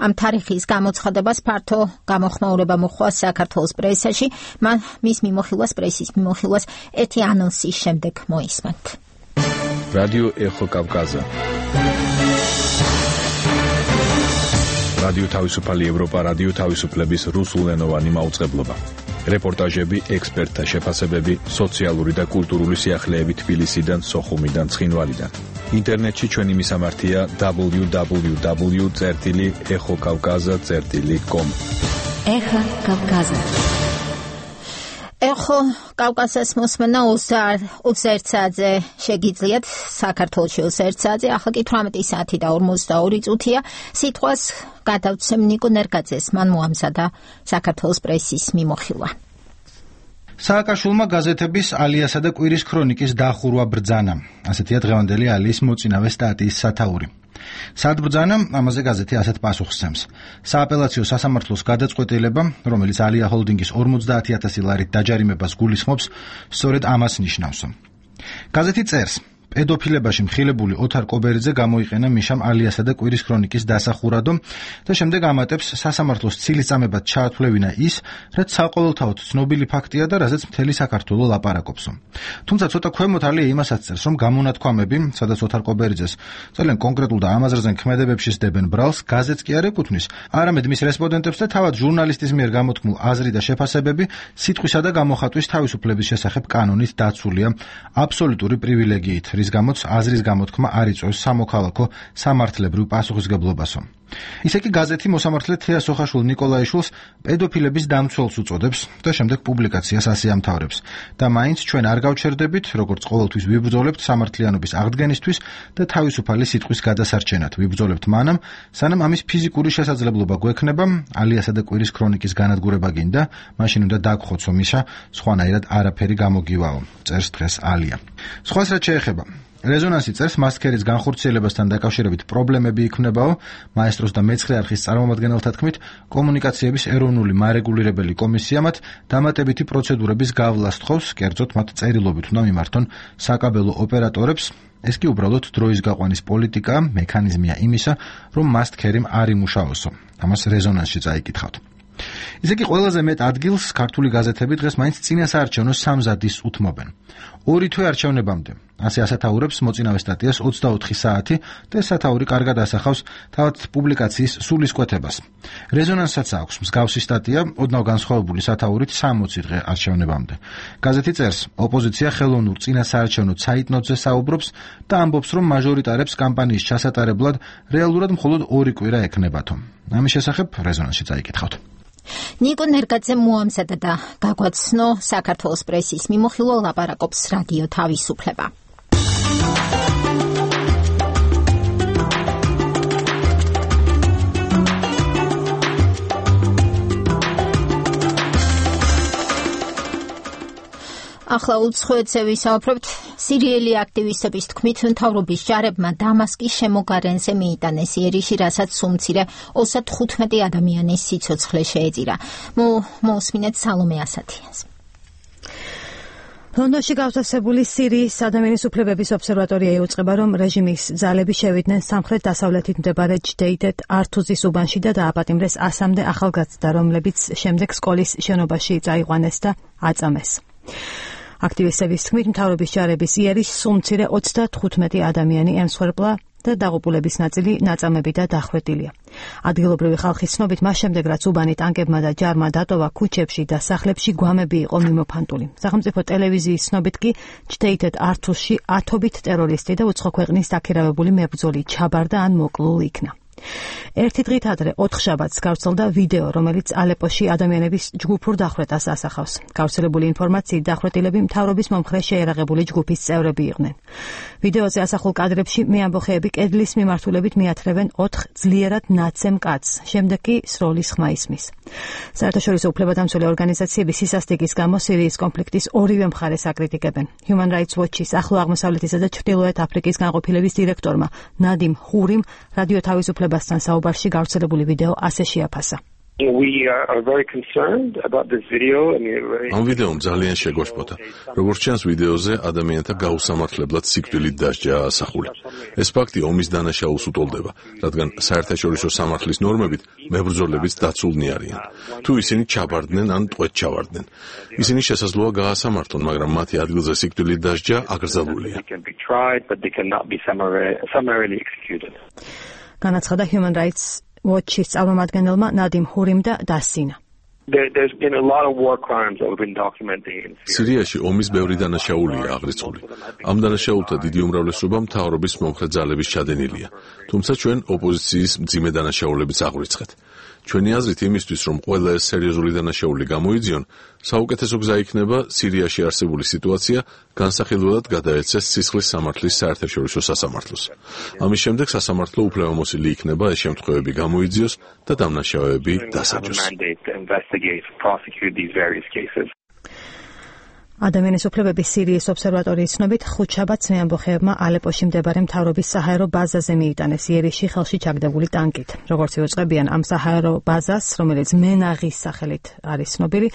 ამ თარიღის გამოცხადებას ფართო გამოხმაურება მოჰყვა საქართველოს პრესაში. პრესის მიმოხილვას ერთი ანონსის შემდეგ მოისმენთ. რადიო ეხო კავკაზა. რადიო თავისუფალი ევროპა, რადიო თავისუფლების რუსულენოვანი მაუწყებლობა. რეპორტაჟები, ექსპერტთა შეფასებები, სოციალური და კულტურული სიახლეები თბილისიდან, სოხუმიდან, ცხინვალიდან. ინტერნეტში ჩვენი მისამართია www.exokavkaza.com. ეხა კავკაზა. ეხო კავკასიას მოსმენა 21 საათზე შეგიძლიათ, საქართველოში 21 საათზე, ახლა კი 18 საათი და 42 წუთია. სიტყვას გადავცემ ნიკო ნერგაძეს, მან მოამზადა საქართველოს პრესის მიმოხილვა. სააკაშვილმა გაზეთების ალიასა და კვირის ქრონიკის დახურვა ბრძანა. ასეთია დღევანდელი ალიის მოწინავე სტატიის სათაური. სად ბრძანა? ამაზე გაზეთი ასეთ პასუხს სცემს. სააპელაციო სასამართლოს გადაწყვეტილება, რომელიც ალია ჰოლდინგის 50,000 ლარით დაჯარიმებას გულისხმობს, სწორედ ამას ნიშნავს. გაზეთი წერს: პედოფილებაში მხილებული ოთარ კობერიძე გამოიყენა მიშამ ალიასა და კვირის ქრონიკის დასახურადო და შემდეგ ამატებს სასამართლოს ცილისწამებად ჩაათვლევინა ის, რაც საყოველთაოდ ცნობილი ფაქტია და რაზეც მთელი საქართველო ლაპარაკობს. თუმცა ცოტა ქვემოთ ალია იმასაც წერს, რომ გამონათქვამები, სადაც ოთარ კობერიძეს ძალიან კონკრეტულ და ამაზრზენ ქმედებებში სდებენ ბრალს, გაზეთს კი არ ეკუთვნის, არამედ მის რესპონდენტებს და თავად ჟურნალისტის მიერ გამოთქმულ აზრი და შეფასებები სიტყვისა და გამოხატვის თავისუფლების შესახებ კანონით დაცულია აბსოლუტური პრივილეგიით, რის გამოც აზრის გამოთქმა არ იწვევს სამოქალაქო სამართლებრივ პასუხისგებლობასო. ისე კი გაზეთი მოსამართლე თეა სოხაშვილ ნიკოლაიშვილს პედოფილების დამცველს უწოდებს და შემდეგ პუბლიკაციას ასე ამთავრებს. და მაინც ჩვენ არ გავჩერდებით, როგორც ყოველთვის ვიბრძოლებთ სამართლიანობის აღდგენისთვის და თავისუფალი სიტყვის გადასარჩენად. ვიბრძოლებთ მანამ, სანამ ამის ფიზიკური შესაძლებლობა გვექნება, ალიასა და კვირის ქრონიკის განადგურება გინდა, მაშინ უნდა დაგხოცო მიშა, სხვანაირად არაფერი გამოგივაო. წერს დღეს ალია. სხვას რაც შეეხება რეზონანსი წერს, მასქერის განხორციელებასთან დაკავშირებით პრობლემები იქმნებაო, მაესტროს და მეცხრე არხის წარმომადგენელთა თქმით, კომუნიკაციების ეროვნული მარეგულირებელი კომისია მათ დამატებითი პროცედურების გავლას თხოვს, კერძოდ მათ წერილობით უნდა მიმართონ საკაბელო ოპერატორებს. ეს კი უბრალოდ დროის გაყვანის პოლიტიკაა, მექანიზმია იმისა, რომ მასქერიმ არ იმუშაოსო. ამას რეზონანსში წაიკითხავთ. ისე კი ყველაზე მეტ ადგილს ქართული გაზეთები დღეს მაინც წინასაარჩევნო სამზადისს უთმობენ. 2 თვე არჩევნებამდე. ასე ასათაურებს მოწინავე სტატიას 24 საათი და სათაური კარგად ასახავს თავად პუბლიკაციის სულისკვეთებას. რეზონანსსაც აქვს მსგავსი სტატია ოდნავ განსხვავებული სათაურით 60 დღე არჩევნებამდე. გაზეთი წერს, ოპოზიცია ხელოვნურ წინასაარჩევნო ცაიტნოტზე საუბრობს და ამბობს, რომ მაჟორიტარებს კამპანიის ჩასატარებლად რეალურად მხოლოდ 2 კვირა ექნებათო. ამის შესახებ რეზონანსში წაიკითხავთ. ნიკო ნერგაძე მოამზადა და გაგვაცნო საქართველოს პრესის მიმოხილვა ლაპარაკობს რადიო თავისუფლება. ახლა უცხოეთზე ვისაუბრებთ. სირიელი აქტივისტების თქმით, მთავრობის ჯარებმა დამასკის შემოგარენზე მიიტანეს იერიში, რასაც უმცირე 35 ადამიანის სიცოცხლე შეეწირა. მოусმინეთ სალომე ასათიანს. ლონდონში გავსასებული სირიის ადამიანის უფლებების ობსერვატორია იუწყება, რომ რეჟიმის ძალები შევიდნენ სამხრეთ-დასავლეთით მდებარე ჯდეიდეთ ართუზის უბანში და დააპატიმრეს 100-მდე ახალგაზრდა, რომლებიც შემდეგ სკოლის შენობაში წაიყვანეს და აწამეს. აქტივისტების თქმით, მთავრობის ჯარების იერიშს უმცირე 35 ადამიანი ემსხვერპლა და დაღუპულების ნაწილი ნაწამები და დახვედილია. ადგილობრივი ხალხის ცნობით, მას შემდეგ რაც უბანი ტანკებმა და ჯარმა დატოვა, ქუჩებში და სახლებში გვამები იყო მიმოფანტული. სახელმწიფო ტელევიზიის ცნობით კი ჯდეიდეთ ართუსში ათობით ტერორისტი და უცხო ქვეყნის დაქირავებული მებრძოლი ჩაბარდა ან მოკლულ იქნა. ერთი დღით ადრე 4 შაბათს გავრცელდა ვიდეო, რომელიც ალეპოში ადამიანების ჯგუფურ დახვრეტას ასახავს. გავრცელებული ინფორმაციით, დახვრეტილები მთავრობის მომხრე შეერაღებული ჯგუფის წევრები იყვნენ. ვიდეოზე ასახულ კადრებში მეამბოხეები კედლის მიმართულებით მიათრევენ 4 ძლიერად ნაცემ კაცს, შემდეგ კი სროლის ხმა ისმის. საერთაშორისო უფლებადამცველი ორგანიზაციების სისასტიკის გამო სირიის კონფლიქტის ორივე მხარეს აკრიტიკებენ. Human Rights Watch-ის ახლო აღმოსავლეთისა და ჩრდილოეთ აფრიკის განყოფილების დირექტორმა ნადიმ ხურიმ რადიო თავისუფლებასთან საუბარში გავრცელებული ვიდეო ასე შეაფასა. ამ ვიდეომ ძალიან შეგვაშფოთა. როგორც ჩანს ვიდეოზე, ადამიანთა გაუსამართლებლად სიკვდილით დასჯა ასახული. ეს ფაქტი ომის დანაშაულს უტოლდება, რადგან საერთაშორისო სამართლის ნორმებით მებრძოლებიც დაცულნი არიან. თუ ისინი ჩაბარდნენ ან ტყვედ ჩავარდნენ, ისინი შესაძლოა გაასამართლონ, მაგრამ მათი ადგილზე სიკვდილით დასჯა აკრძალულია. განაცხადა Human Rights Watch-ის წარმომადგენელმა ნადიმ ჰურიმ და დასინა. სირიაში ომის ბევრი დანაშაულია აღრიცხული. ამ დანაშაულთა დიდი უმრავლესობა მთავრობის მომხრე ძალების ჩადენილია. თუმცა ჩვენ ოპოზიციის მძიმე დანაშაულებიც აღვიცხეთ. ჩვენი აზრით იმისთვის, რომ ყველა ეს სერიოზული დანაშაული გამოიძიონ, საუკეთესო გზა იქნება სირიაში არსებული სიტუაცია განსახილველად გადაეცეს სისხლის სამართლის საერთაშორისო სასამართლოს. ამის შემდეგ სასამართლო უფლებამოსილი იქნება ეს შემთხვევები გამოიძიოს და დამნაშავეები დასაჯოს. ადამიანის უფლებების სირიის ობსერვატორიის ცნობით, 5 შაბათს მეამბოხეებმა ალეპოში მდებარე მთავრობის საჰაერო ბაზაზე მიიტანეს იერიში ხელში ჩაგდებული ტანკით. როგორც იუწყებიან ამ საჰაერო ბაზას, რომელიც მენაღის სახელით არის ცნობილი,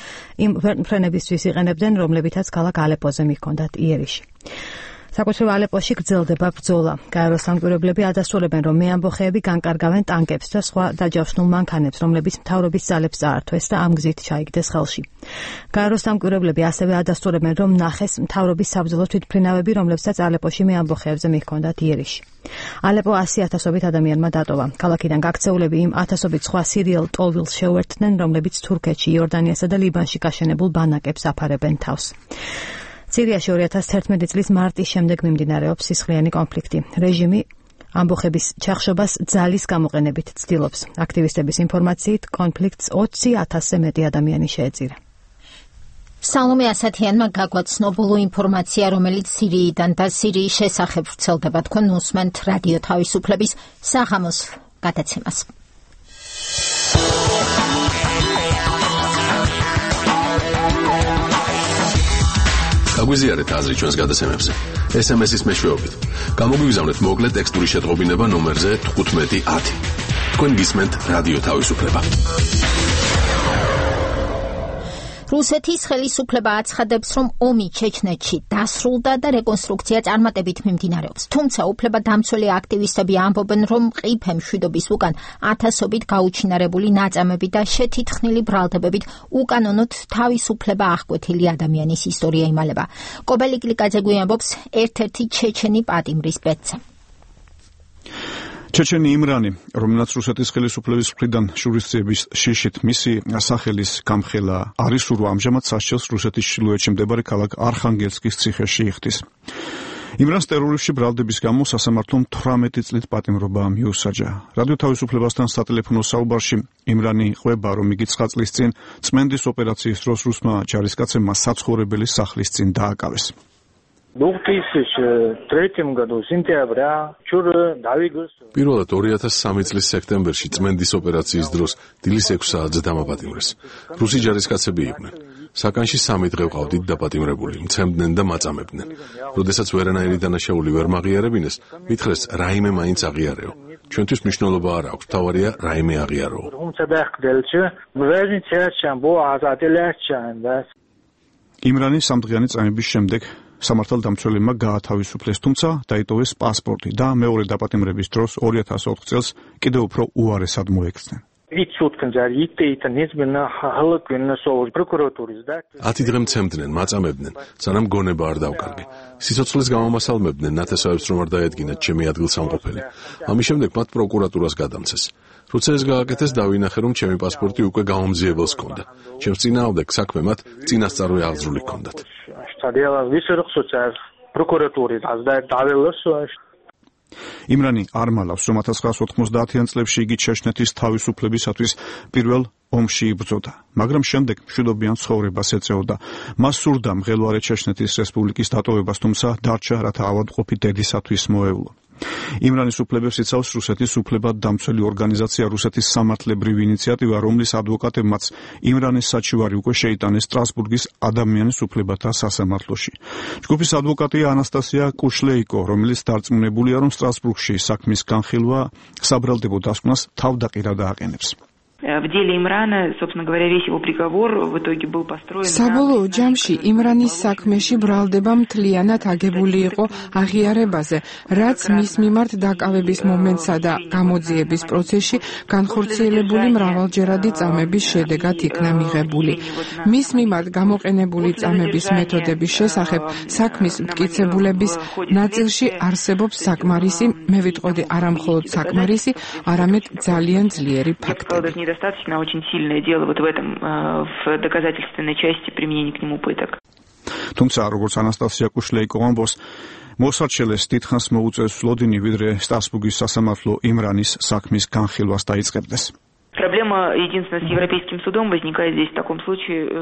იმ ვერტმფრენებისთვის იყენებდნენ, რომლებითაც ქალაქ ალეპოზე მიჰქონდათ იერიში. საკუთრივ ალეპოში გრძელდება ბრძოლა. გაეროს სამკვირვებლები ადასტურებენ, რომ მეამბოხეები განკარგავენ ტანკებს და სხვა დაჯავშნულ მანქანებს, რომლებიც მთავრობის ძალებს წაართვეს და ამ გზით ჩაიგდეს ხელში. გაეროს სამკვირვებლები ასევე ადასტურებენ, რომ ნახეს მთავრობის საბრძოლო თვითმფრინავები, რომლებსაც ალეპოში მეამბოხეებზე მიჰქონდათ იერიში. ალეპო 100,000-ობით ადამიანმა დატოვა. ქალაქიდან გაქცეულები იმ 1000-ობით სხვა სირიელ ტოლვილს შეუერთდნენ, რომლებიც თურქეთში, იორდანიასა და ლიბანში გაშენებულ ბანაკებს აფარებენ თავს. სირიაში 2011 წლის მარტის შემდეგ მიმდინარეობს სისხლიანი კონფლიქტი. რეჟიმი ამბოხების ჩახშობას ძალის გამოყენებით ცდილობს. აქტივისტების ინფორმაციით, კონფლიქტს 20,000-ზე მეტი ადამიანი შეეწირა. სალომე ასათიანმა გაგვაცნო ბოლო ინფორმაცია, რომელიც სირიიდან და სირიის შესახებ ვრცელდება. თქვენ უსმენთ რადიო თავისუფლების საღამოს გადაცემას. გაგვიზიარეთ აზრი ჩვენს გადაცემებზე. SMS-ის მეშვეობით. გამოგვიგზავნეთ მოკლე ტექსტური შეტყობინება ნომერზე 1510. თქვენ გისმენთ რადიო თავისუფლება. რუსეთის ხელისუფლება აცხადებს, რომ ომი ჩეჩნეთში დასრულდა და რეკონსტრუქცია წარმატებით მიმდინარეობს. თუმცა უფლებადამცველი აქტივისტები ამბობენ, რომ ყიფე მშვიდობის უკან ათასობით გაუჩინარებული ნაწამები და შეთითხნილი ბრალდებებით უკანონოდ თავისუფლება აღკვეთილი ადამიანის ისტორია იმალება. კობელი კლიკაძე გვიამბობს ერთ-ერთი ჩეჩენი პატიმრის ბედზე. ჩეჩენი იმრანი, რომელსაც რუსეთის ხელისუფლების მხრიდან შურისძიების შიშით მისი სახელის გამხელა არის ურვა ამჟამად სასჯელს რუსეთის ჩრდილოეთში მდებარე ქალაქ არხანგელსკის ციხეში იხდის. იმრანს ტერორისტული ბრალდების გამო სასამართლომ 18 წლით პატიმრობა მიუსაჯა. რადიო თავისუფლებასთან სატელეფონო საუბარში იმრანი ყვება, რომ იგი 9 წლის წინ წმენდის ოპერაციის დროს რუსმა ჯარისკაცებმა საცხოვრებელი სახლის წინ დააკავეს. 2003 году сентября პირველად 2003 წლის სექტემბერში წმენდის ოპერაციის დროს დილის 6 საათზე დამაპატიმრეს. რუსი ჯარისკაცები იყვნენ. საკანში 3 დღე ვყავდით დაპატიმრებული, მცემდნენ და მაწამებდნენ. როდესაც ვერანაირი დანაშაული ვერ მაღიარებინეს, მითხრეს რაიმე მაინც აღიარეო. ჩვენთვის მნიშვნელობა არ აქვს, თავარია რაიმე აღიაროო. იმრანი სამდღიანი წამების შემდეგ სამართალდამცველებმა გაათავისუფლეს, თუმცა დაიტოვეს პასპორტი და მეორე დაპატიმრების დროს 2004 წელს კიდევ უფრო უარესად მოექცნენ. 10 დღე მცემდნენ, მაწამებდნენ, სანამ გონება არ დავკარგე. სიცოცხლის გამომასალმებდნენ ნათესავებს, რომ არ დაედგინათ ჩემი ადგილსამყოფელი. ამის შემდეგ მათ პროკურატურას გადამცეს. როცა ეს გააკეთეს, დავინახე, რომ ჩემი პასპორტი უკვე გამომძიებელს ჰქონდა. ჩემს წინააღმდეგ საქმე მათ წინასწარვე აღძრული ჰქონდათ. იმრანი არ მალავს, რომ 1990-იან წლებში იგი ჩეჩნეთის თავისუფლებისათვის პირველ ომში იბრძოდა, მაგრამ შემდეგ მშვიდობიან ცხოვრებას ეწეოდა. მას სურდა მღელვარე ჩეჩნეთის რესპუბლიკის დატოვებას, თუმცა დარჩა, რათა ავადმყოფი დედისათვის მოევლო. იმრანის უფლებებს იცავს რუსეთის უფლებადამცველი ორგანიზაცია რუსეთის სამართლებრივი ინიციატივა, რომლის ადვოკატებმაც იმრანის საჩივარი უკვე შეიტანეს სტრასბურგის ადამიანის უფლებათა სასამართლოში. ჯგუფის адვოკატია ანასტასია კუშლეიკო, რომელიც დარწმუნებულია, რომ სტრასბურგში საქმის განხილვა საბრალდებო დასკვნას თავდაყირა დააყენებს. В деле Имрана, собственно говоря, весь его приговор в итоге был построен. საბოლოო ჯამში იმრანის საქმეში ბრალდება მთლიანად აგებული იყო აღიარებაზე, რაც მის მიმართ დაკავების მომენტსა და გამოძიების პროცესში განხორციელებული მრავალჯერადი წამების შედეგად იქნა მიღებული. მის მიმართ გამოყენებული წამების მეთოდების შესახებ საქმის მტკიცებულების ნაწილში არსებობს საკმარისი, მე ვიტყოდი არა მხოლოდ საკმარისი, არამედ ძალიან ძლიერი ფაქტები. Недостаточно очень сильное дело вот в этом в доказательственной части применения к нему пыток. თუმცა როგორც ანასტასია კუშლეიკო ამბობს, მოსარჩელეს დიდხანს მოუწევს ლოდინი, ვიდრე სტრასბურგის სასამართლო იმრანის საქმის განხილვას დაიწყებდეს. Проблема единственно с Европейским судом возникает здесь в таком случае.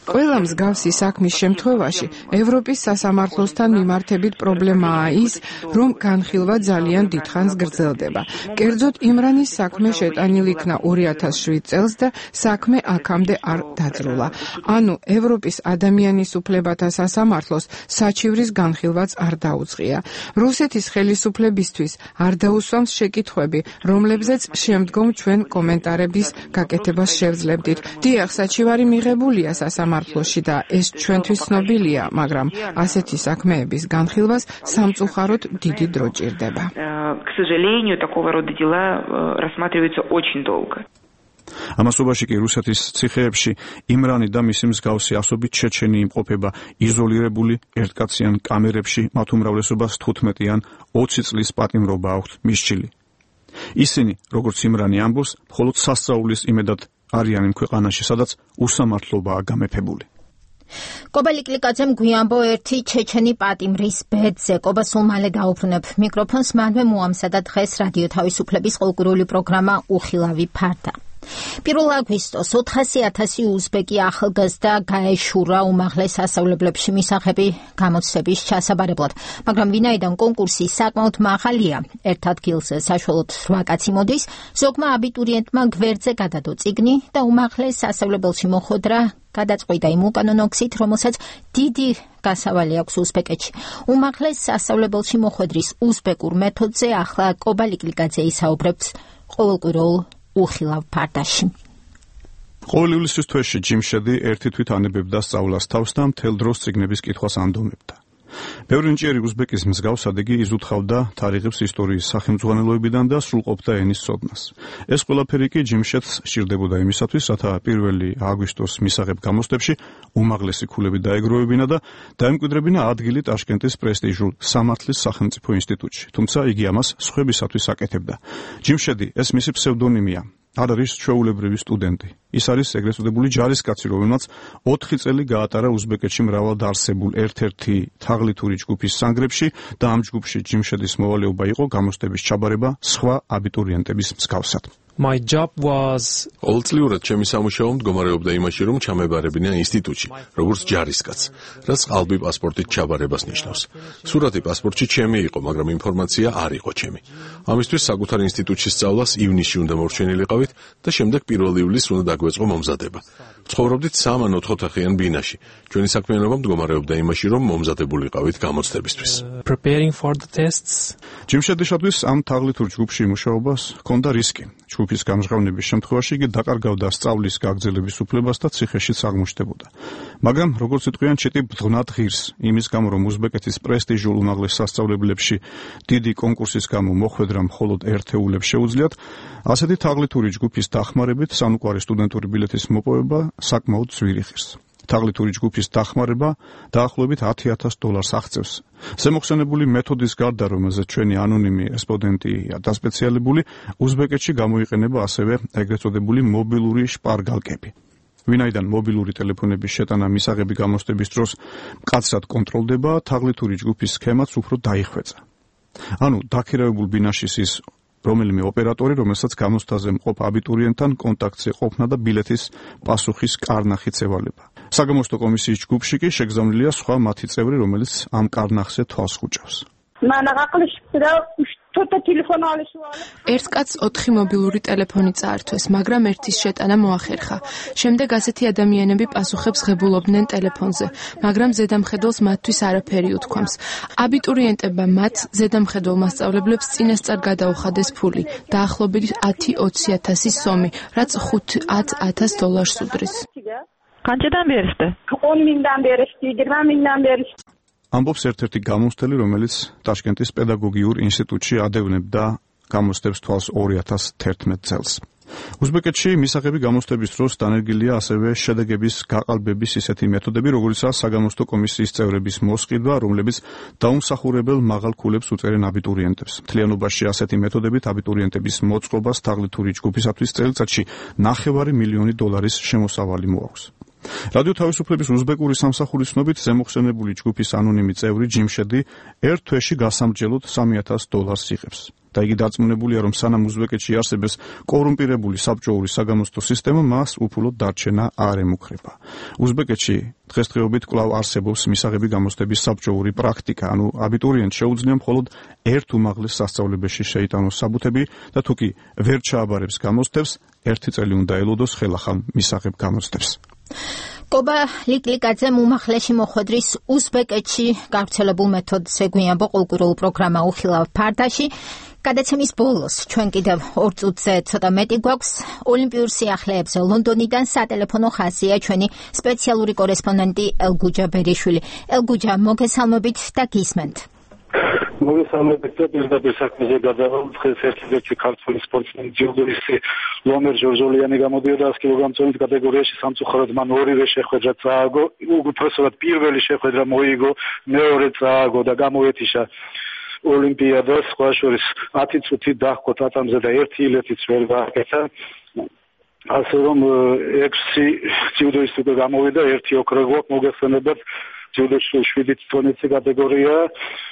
ყველა მსგავსი საქმის შემთხვევაში ევროპის სასამართლოსთან მიმართებით პრობლემაა ის, რომ განხილვა ძალიან დიდხანს გრძელდება. კერძოდ იმრანის საქმე შეტანილი იქნა 2007 წელს და საქმე აქამდე არ დაძრულა. ანუ ევროპის ადამიანის უფლებათა სასამართლოს საჩივრის განხილვაც არ დაუწყია. რუსეთის ხელისუფლებისთვის არ დაუსვამს შეკითხვები, რომლებზეც შემდგომ ჩვენ კომენტარების გაკეთებას შევძლებდით. დიახ, საჩივარი მიღებულია სასამართლოში და ეს ჩვენთვის ცნობილია, მაგრამ ასეთი საქმეების განხილვას სამწუხაროდ დიდი დრო ჭირდება. К сожалению, такого рода дела рассматриваются очень долго. ამასობაში კი რუსეთის ციხეებში იმრანი და მისი მსგავსი ასობით ჩეჩენი იმყოფება იზოლირებული ერთკაციან კამერებში, მათ უმრავლესობას 15 ან 20 წლის პატიმრობა აქვთ მისჩილი. ისინი, როგორც იმრანი ამბობს, მხოლოდ სასწაულის იმედად არიან იმ ქვეყანაში, სადაც უსამართლობაა გამეფებული. კობელი კლიკაძემ გვიამბო ერთი ჩეჩენი პატიმრის ბედზე. კობა სულ მალე დაუბრუნებ მიკროფონს მანვე მოამზადა დღეს რადიო თავისუფლების ყოლკურული პროგრამა უხილავი ფარდა. 1 აგვისტოს 400,000 უზბეკი ახალგაზრდა გაეშურა უმაღლეს სასწავლებლებში მისაღები გამოცდების ჩასაბარებლად, მაგრამ ვინაიდან კონკურსი საკმაოდ მაღალია, ერთ ადგილს საშუალოდ 8 კაცი მოდის, ზოგმა აბიტურიენტმა გვერდზე გადადო წიგნი და უმაღლეს სასწავლებელში მოხვედრა გადაწყვიტა იმ უკანონო გზით, რომელსაც დიდი გასავალი აქვს უზბეკეთში. უმაღლეს სასწავლებელში მოხვედრის უზბეკურ მეთოდზე ახლა კობა ლიკლიკაძე ისაუბრებს ყოველკვირეულ უხილავ ფარდაში. ყოველ ივლისის თვეში ჯიმშედი ერთი თვით ანებებდა სწავლას თავს და მთელ დროს წიგნების კითხვას ანდომებდა. ბევრი ნიჭიერი უზბეკის მსგავსად იგი იზუთხავდა თარიღებს ისტორიის სახელმძღვანელოებიდან და სრულყოფდა ენის ცოდნას. ეს ყველაფერი კი ჯიმშედს სჭირდებოდა იმისათვის, რათა 1 აგვისტოს მისაღებ გამოცდებში უმაღლესი ქულები დაეგროვებინა და დაემკვიდრებინა ადგილი ტაშკენტის პრესტიჟულ სამართლის სახელმწიფო ინსტიტუტში. თუმცა იგი ამას სხვებისათვის აკეთებდა. ჯიმშედი ეს მისი ფსევდონიმია. არ არის ჩვეულებრივი სტუდენტი. ის არის ეგრეთ წოდებული ჯარისკაცი, რომელმაც 4 წელი გაატარა უზბეკეთში მრავალ დაარსებულ ერთ-ერთი თაღლითური ჯგუფის სანგრებში და ამ ჯგუფში ჯიმშედის მოვალეობა იყო გამოცდების ჩაბარება სხვა აბიტურიენტების მსგავსად. My job was ყოველწლიურად ჩემი სამუშაო მდგომარეობდა იმაში, რომ ჩამებარებინა ინსტიტუტში, როგორც ჯარისკაცს, რაც ყალბი პასპორტით ჩაბარებას ნიშნავს. სურათი პასპორტში ჩემი იყო, მაგრამ ინფორმაცია არ იყო ჩემი. ამისთვის საკუთარ ინსტიტუტში სწავლას ივნისში უნდა მორჩენილიყავით და შემდეგ 1 ივლისს უნდა დაგვეწყო მომზადება. ცხოვრობდით 3 ან 4 ოთახიან ბინაში. ჩვენი საქმიანობა მდგომარეობდა იმაში, რომ მომზადებულიყავით გამოცდებისთვის. Preparing for the tests. ჯიმშედიშათვის ამ თაღლითურ ჯგუფში მუშაობას ჰქონდა რისკი. ჯგუფის გამჟღავნების შემთხვევაში იგი დაკარგავდა სწავლის გაგრძელების უფლებას და ციხეშიც აღმოჩნდებოდა. მაგრამ როგორც იტყვიან, ჩიტი ბრძნად ღირს, იმის გამო რომ უზბეკეთის პრესტიჟულ უმაღლეს სასწავლებლებში დიდი კონკურსის გამო მოხვედრა მხოლოდ ერთეულებს შეუძლიათ, ასეთი თაღლითური ჯგუფის დახმარებით სანუკვარი სტუდენტური ბილეთის მოპოვება საკმაოდ ძვირი ღირს. თაღლითური ჯგუფის დახმარება დაახლოებით $10,000 აღწევს. ზემოხსენებული მეთოდის გარდა, რომელზეც ჩვენი ანონიმი რესპონდენტია დასპეციალებული, უზბეკეთში გამოიყენება ასევე ეგრეთ წოდებული მობილური შპარგალკები. ვინაიდან მობილური ტელეფონების შეტანა მისაღები გამოცდების დროს მკაცრად კონტროლდება, თაღლითური ჯგუფის სქემაც უფრო დაიხვეწა. ანუ დაქირავებულ ბინაში ის რომელიმე ოპერატორი, რომელსაც გამოცდაზე მყოფ აბიტურიენტთან კონტაქტზე ყოფნა და ბილეთის პასუხის კარნახიც ევალება. საგამოცდო კომისიის ჯგუფში კი შეგზავნილია სხვა მათი წევრი, რომელიც ამ კარნახზე თვალს ხუჭავს. ერთ კაცს 4 მობილური ტელეფონი წაართვეს, მაგრამ ერთის შეტანა მოახერხა. შემდეგ ასეთი ადამიანები პასუხებს ღებულობდნენ ტელეფონზე, მაგრამ ზედამხედველს მათთვის არაფერი უთქვამს. აბიტურიენტებმა მათ ზედამხედველ მასწავლებლებს წინასწარ გადაუხადეს ფული, დაახლოებით 10-20,000 სომი, რაც $5,000 უდრის. ამბობს ერთ-ერთი გამოცდელი, რომელიც ტაშკენტის პედაგოგიურ ინსტიტუტში ადევნებდა გამოცდებს თვალს 2011 წელს. უზბეკეთში მისაღები გამოცდების დროს დანერგილია ასევე შედეგების გაყალბების ისეთი მეთოდები, როგორიცაა საგამოცდო კომისიის წევრების მოსყიდვა, რომლებიც დაუმსახურებელ მაღალ ქულებს უწერენ აბიტურიენტებს. მთლიანობაში ასეთი მეთოდებით აბიტურიენტების მოწყობას თაღლითური ჯგუფისათვის წელიწადში $500,000 შემოსავალი მოაქვს. რადიო თავისუფლების უზბეკური სამსახურის ცნობით ზემოხსენებული ჯგუფის ანონიმი წევრი ჯიმშედი ერთ თვეში გასამრჯელოდ $3,000 იღებს. და იგი დარწმუნებულია, რომ სანამ უზბეკეთში არსებობს კორუმპირებული საბჭოური საგამოცდო სისტემა, მას უფულოდ დარჩენა არ ემუქრება. უზბეკეთში დღესდღეობით კვლავ არსებობს მისაღები გამოცდების საბჭოური პრაქტიკა, ანუ აბიტურიენტს შეუძლია მხოლოდ ერთ უმაღლეს სასწავლებელში შეიტანოს საბუთები და თუ კი ვერ ჩააბარებს გამოცდებს, 1 წელი უნდა ელოდოს ხელახალ მისაღებ გამოცდებს. კობა ლიკლიკაძემ უმაღლესი მოხვედრის უზბეკეთში გავრცელებულ მეთოდს ეგვიანბო ყოველკვირეულ პროგრამა უხილავ ფარდაში. გადაცემის ბოლოს ჩვენ კიდევ 2 წუთზე ცოტა მეტი გვაქვს ოლიმპიურ სიახლეებზე ლონდონიდან სატელეფონო ხაზია ჩვენი სპეციალური კორესპონდენტი ელგუჯა ბერიშვილი. ელგუჯა, მოგესალმებით და გისმენთ. მოგესალმებით და პირდაპირ საქმეზე გადავალ. დღეს ერთ-ერთი ქართველი სპორტსმენი ჯილდოისტი ლომერ ჟორჟოლიანი გამოდიოდა 100 კილოგრამის კატეგორიაში, სამწუხაროდ მან ორივე შეხვედრა წააგო. უბრალოდ პირველი შეხვედრა მოიგო, მეორე წააგო და გამოეთიშა ოლიმპიადას, სხვა შორის 10 წუთი დაჰყო ტატამზე და 1 ილეთიც ვერ გააკეთა. ასე რომ 6 ჯილდოისტი გამოვიდა, 1 ოქრო გვაქვს, მოგეხსენებათ ჯილდოში 7 ტონეცი კატეგორია.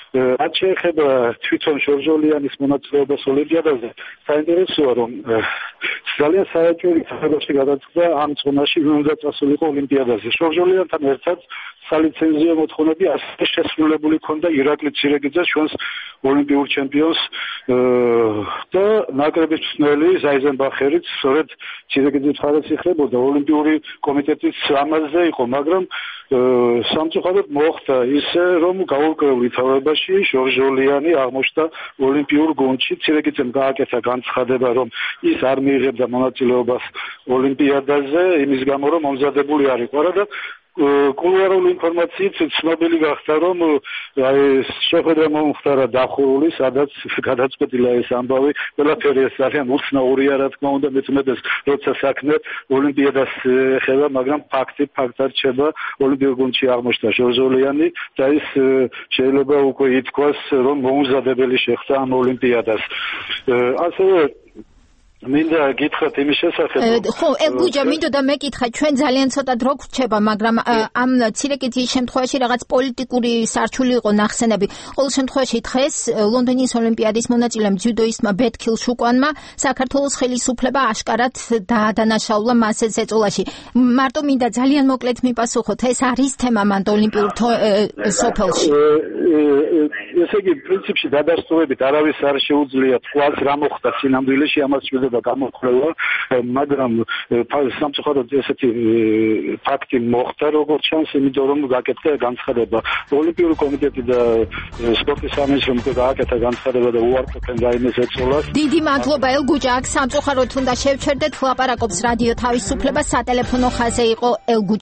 რაც შეეხება თვითონ ჟორჟოლიანის მონაწილეობას ოლიმპიადაზე, საინტერესოა, რომ ძალიან საერთოდ საფრთხეში გადაწყდა ამ ზონაში უნდა წასულიყო ოლიმპიადაზე. ჟორჟოლიანთან ერთად სალიცენზიო მოთხოვნები ასე შესრულებული ქონდა ირაკლი ცირეგიძეს, ჩვენს ოლიმპიურ ჩემპიონს და ნაკრების მწვრთნელი ზაიზენბახერიც სწორედ ცირეგიძის მხარეს იხლებოდა. ოლიმპიური კომიტეტიც ამაზე იყო, მაგრამ სამწუხაროდ მოხდა ისე, რომ გაურკვეველ ვითარებაში ჟორჟოლიანი აღმოჩნდა ოლიმპიურ გუნდში. ცირეგიძემ გააკეთა განცხადება, რომ ის არ მიიღებდა მონაწილეობას ოლიმპიადაზე, იმის გამო, რომ მომზადებული არ იყო. და კულუარული ინფორმაციით ცნობილი გახდა, რომ შეხვედრა მომხდარა დახურული, სადაც გადაწყვეტილა ეს ამბავი. ყველაფერი ეს ძალიან უცნაურია, რა თქმა უნდა, მეცნიერებს როცა საქმე ოლიმპიადას ეხება, მაგრამ ფაქტად რჩება ოლიმპიურ გუნდში აღმოჩნდა ჟორჟოლიანი და ის შეიძლება უკვე ითქვას, რომ მოუმზადებელი შეხვდა ამ ოლიმპიადას. ასევე მინდა გითხრათ იმის შესახებ. ხო, ელგუჯა, მინდოდა მეკითხა, ჩვენ ძალიან ცოტა დრო გვრჩება, მაგრამ ამ ცირეგიძის შემთხვევაში რაღაც პოლიტიკური სარჩული იყო ნახსენები. ყოველ შემთხვევაში დღეს ლონდონის ოლიმპიადის მონაწილემ ძიუდოისტმა ბეთქილ შუკვანმა საქართველოს ხელისუფლება აშკარად დაადანაშაულა მას ეს ეწოლაში. მარტო მინდა ძალიან მოკლედ მიპასუხოთ, ეს არის თემა მანდ ოლიმპიურ სოფელში. ესე იგი, პრინციპში დადასტურებით არავის არ შეუძლია თქვას რა მოხდა სინამდვილეში, ამას შეიძლება გამოხმევა, მაგრამ სამწუხაროდ ესეთი ფაქტი მოხდა, როგორც ჩანს, იმიტომ რომ გაკეთდა განცხადება. ოლიმპიური კომიტეტი და სპორტის სამინისტრო გააკეთა განცხადება და უარყოფენ რაიმეს ეწოლას. დიდი მადლობა ელგუჯა, აქ სამწუხაროდ უნდა შევჩერდეთ, ლაპარაკობს რადიო თავისუფლება, სატელეფონო ხაზზე იყო ელგუჯა.